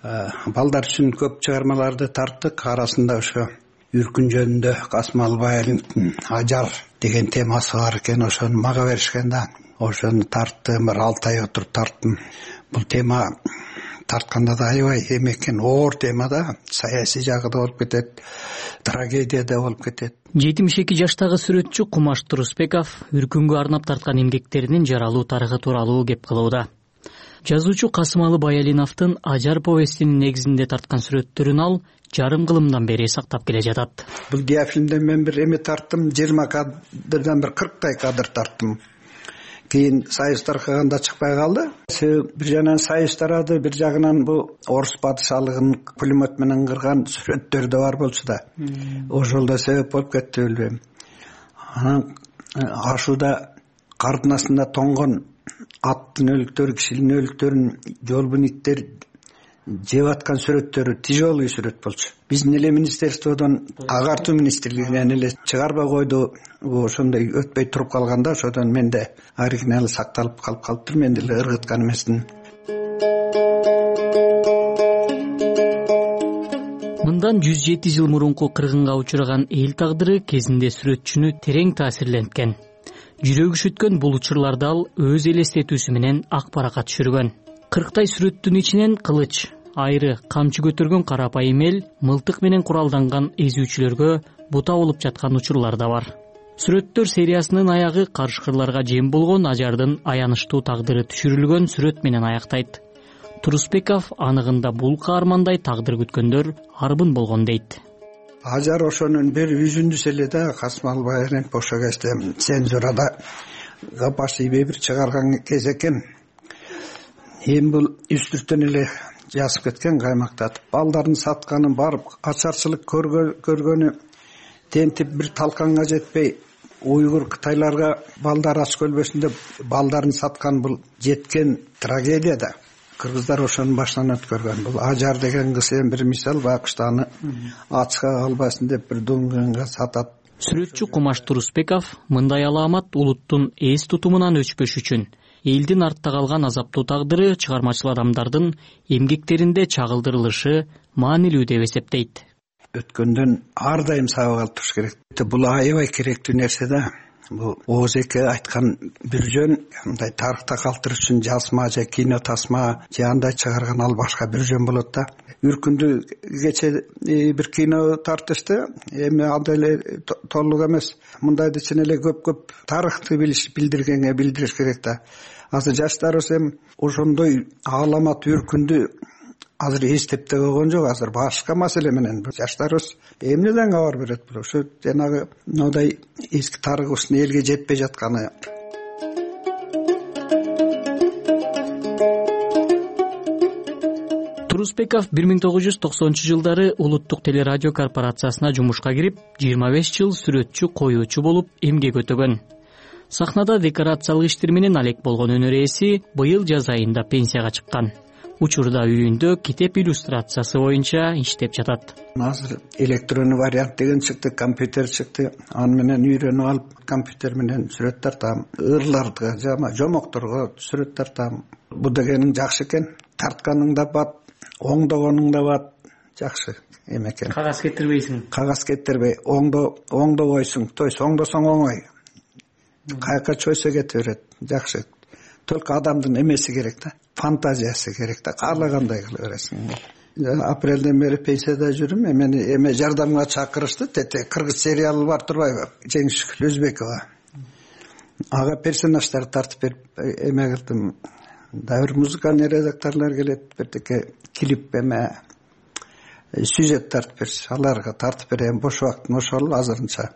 Балдар үчүн көп чыгармаларды тарттык. Арасында ошо Үйүркүн жөнүндө Касым Албаевдин Ажар деген темасы бар экен. Ошону мага беришкен да. Ошону тарттым, бир 6 ай отуруп тарттым. Бул тема тартканда да аябай эме экен, оор тема да. Саясий жагы да болуп кетет, трагедия да болуп кетет. 72 жаштагы сүрөтчү Кумаш Турусбеков Үркүнгө арнап тарткан эмгектеринин жаралуу тарыхы тууралуу кеп кылууда. Жазуучу Касымалы Баялиновдун Ажар повестинин негизинде тарткан сүрөттөрүн ал жарым кылымдан бери сактап келе жатат. Бул диафильмден мен бир эме тарттым, 20 кадрдан бир 40 кадр тарттым. Кийин союз таркаганда чыкпай калды. Бир жагынан союз тарады, бир жагынан бу орус падышалыгын пулемет менен кырган сүрөттөр да бар болчу да. Ошол да себеп болуп кетти, билбейм. Анан ашууда кардын астында тоңгон аттын өлүктөрү, кишинин өлүктөрүн жолбун иттер жеп аткан сүрөттөрү тяжелый сүрөт болчу. Биздин эле министерстводон, агартуу министрлигинен эле чыгарбай койду. Ошондой өтпөй туруп калганда, ошодон менде оригиналы сакталып калып калыптыр. Мен деле ыргыткан эмесмин. Мындан 107 жыл мурунку кыргынга учураган эл тагдыры кезинде сүрөтчүнү терең таасирленткен. Жүрөгү шүткөн бул учурларда ал өз элестетүүсү менен ак баракка түшүргөн. 40 сүрөттүн ичинен кылыч, айры, камчы көтөргөн карапайым эл мылтык менен куралданган эзүүчүлөргө бута болуп жаткан учурлар да бар. Сүрөттөр сериясынын аягы карышкырларга жем болгон Ажардын аянычтуу тагдыры түшүрүлгөн сүрөт менен аяктайт. Турусбеков аныгында бул каармандай тагдыр күткөндөр арбын болгон дейт. Ажар ошонун бир үзүндүсү эле да. Касым Албаевдин ошо кезде цензурада гапашибей бир чыгарган кез экен. Эми бул үстүртөн эле жазып кеткен, каймактатып. Балдарын сатканын барып ачарчылык көргөнү тентип бир талканга жетпей, уйгур кытайларга балдар ач көлбөсүндө балдарын саткан бул жеткен трагедия да. Кыргыздар ошонун башынан өткөргөн. Бул Ажар деген кыз эми бир мисал, байкушта аны ачка калбасын деп бир дуңгенге сатат. Сүрөтчү Кумаш Турусбеков мындай алаамат улуттун эс тутумунан өчпөш үчүн элдин артта калган азаптуу тагдыры чыгармачыл адамдардын эмгектеринде чагылдырылышы маанилүү деп эсептейт. Өткөндөн ар дайым сабак алып туруш керек. Бул аябай керектүү нерсе да. Бул Оозеке айткан бир жөн, мындай тарыхта калтырыш үчүн жазма же кино тасма же андай чыгарган ал башка бир жөн болот да. Үркүндү кече бир кино тартышты. Эми андай эле толук эмес. Мындайды чын эле көп тарыхты билдириш керек да. Азыр жаштарыбыз эми ошондой аламат Үркүндү азыр эстеп да койгон жок. Азыр башка маселе менен жаштарыбыз эмнеден кабар берет бул? Ошо жанагы мындай эски тарыхыбыздын элге жетпей жатканы. Турусбеков 1990-жылдары улуттук телерадио корпорациясына жумушка кирип, 25 жыл сүрөтчү, коюучу болуп эмгек өтөгөн. Сахнада декорациялык иштер менен алек болгон өнөр ээси быйыл жаз айында пенсияга чыккан. Учурда үйүндө китеп иллюстрациясы боюнча иштеп жатат. Азыр электронный вариант деген чыкты, компьютер чыкты. Аны менен үйрөнүп алып, компьютер менен сүрөт тартам. Ырларга, жомокторго сүрөт тартам. Бул дегенин жакшы экен. Тартканың да бат, оңдогонуң да бат. Жакшы эме экен. Кагаз кетирбейсиң. Кагаз кетирбей, оңдобойсуң. То есть оңдосоң оңой. Каяка чойсо кете берет. Жакшы. Только адамдын эмеси керек да. Фантазиясы керек да. Каалагандай кыла бересиң. Апрелден бери пенсияда жүрүм. Мени эме жардамга чакырышты. Тете кыргыз сериалы бар турбайбы? Жеңишгүл Өзбекова. Ага персонаждар тартып берип эме кылдым. Да бир музыкальный редакторлор келет. Бирдеке клип эме сюжет тартып берсе, аларга тартып берем. Бош убактым ошол азырынча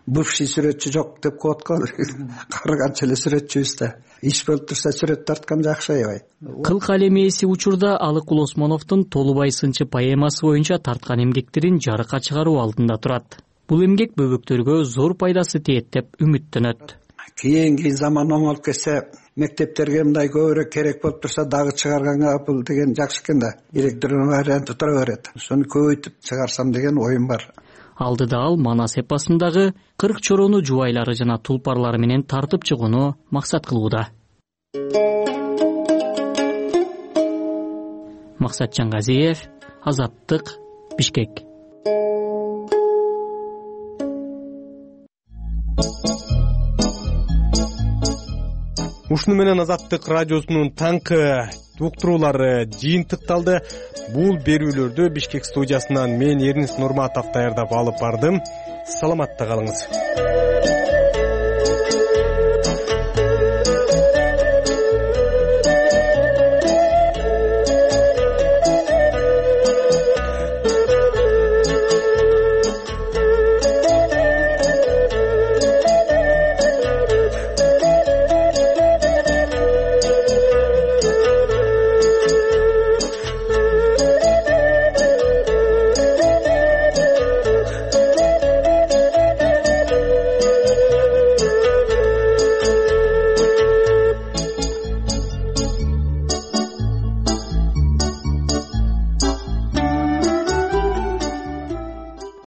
бывший сүрөтчү жок деп коет го кары канча эле сүрөтчүбүз да иш болуп турса сүрөт тарткан жакшы аябай. Кыл калем ээси учурда Алыкул Осмоновдун Толубай сынчы поэмасы боюнча тарткан эмгектерин жарыкка чыгаруу алдында турат. Бул эмгек бөбөктөргө зор пайдасы тиет деп үмүттөнөт. Кийинки заман оңолуп кетсе, мектептерге мындай көбүрөөк керек болуп турса дагы чыгарганга бул деген жакшы экен да. Директордун варианты тура берет. Ошону көбөйтүп чыгарсам деген оюм бар. Алдыда ал Манас эпосундагы 40 чороону жубайлары жана тулпарлары менен тартып чыгууну максат кылууда. Максат Жангазиев, Азаттык, Бишкек. Ушуну менен Азаттык радиосунун таңкы уктуруулары жыйынтыкталды. Бул берүүлөрдү Бишкек студиясынан мен Эрнис Нурматов даярдап алып бардым. Саламатта калыңыз.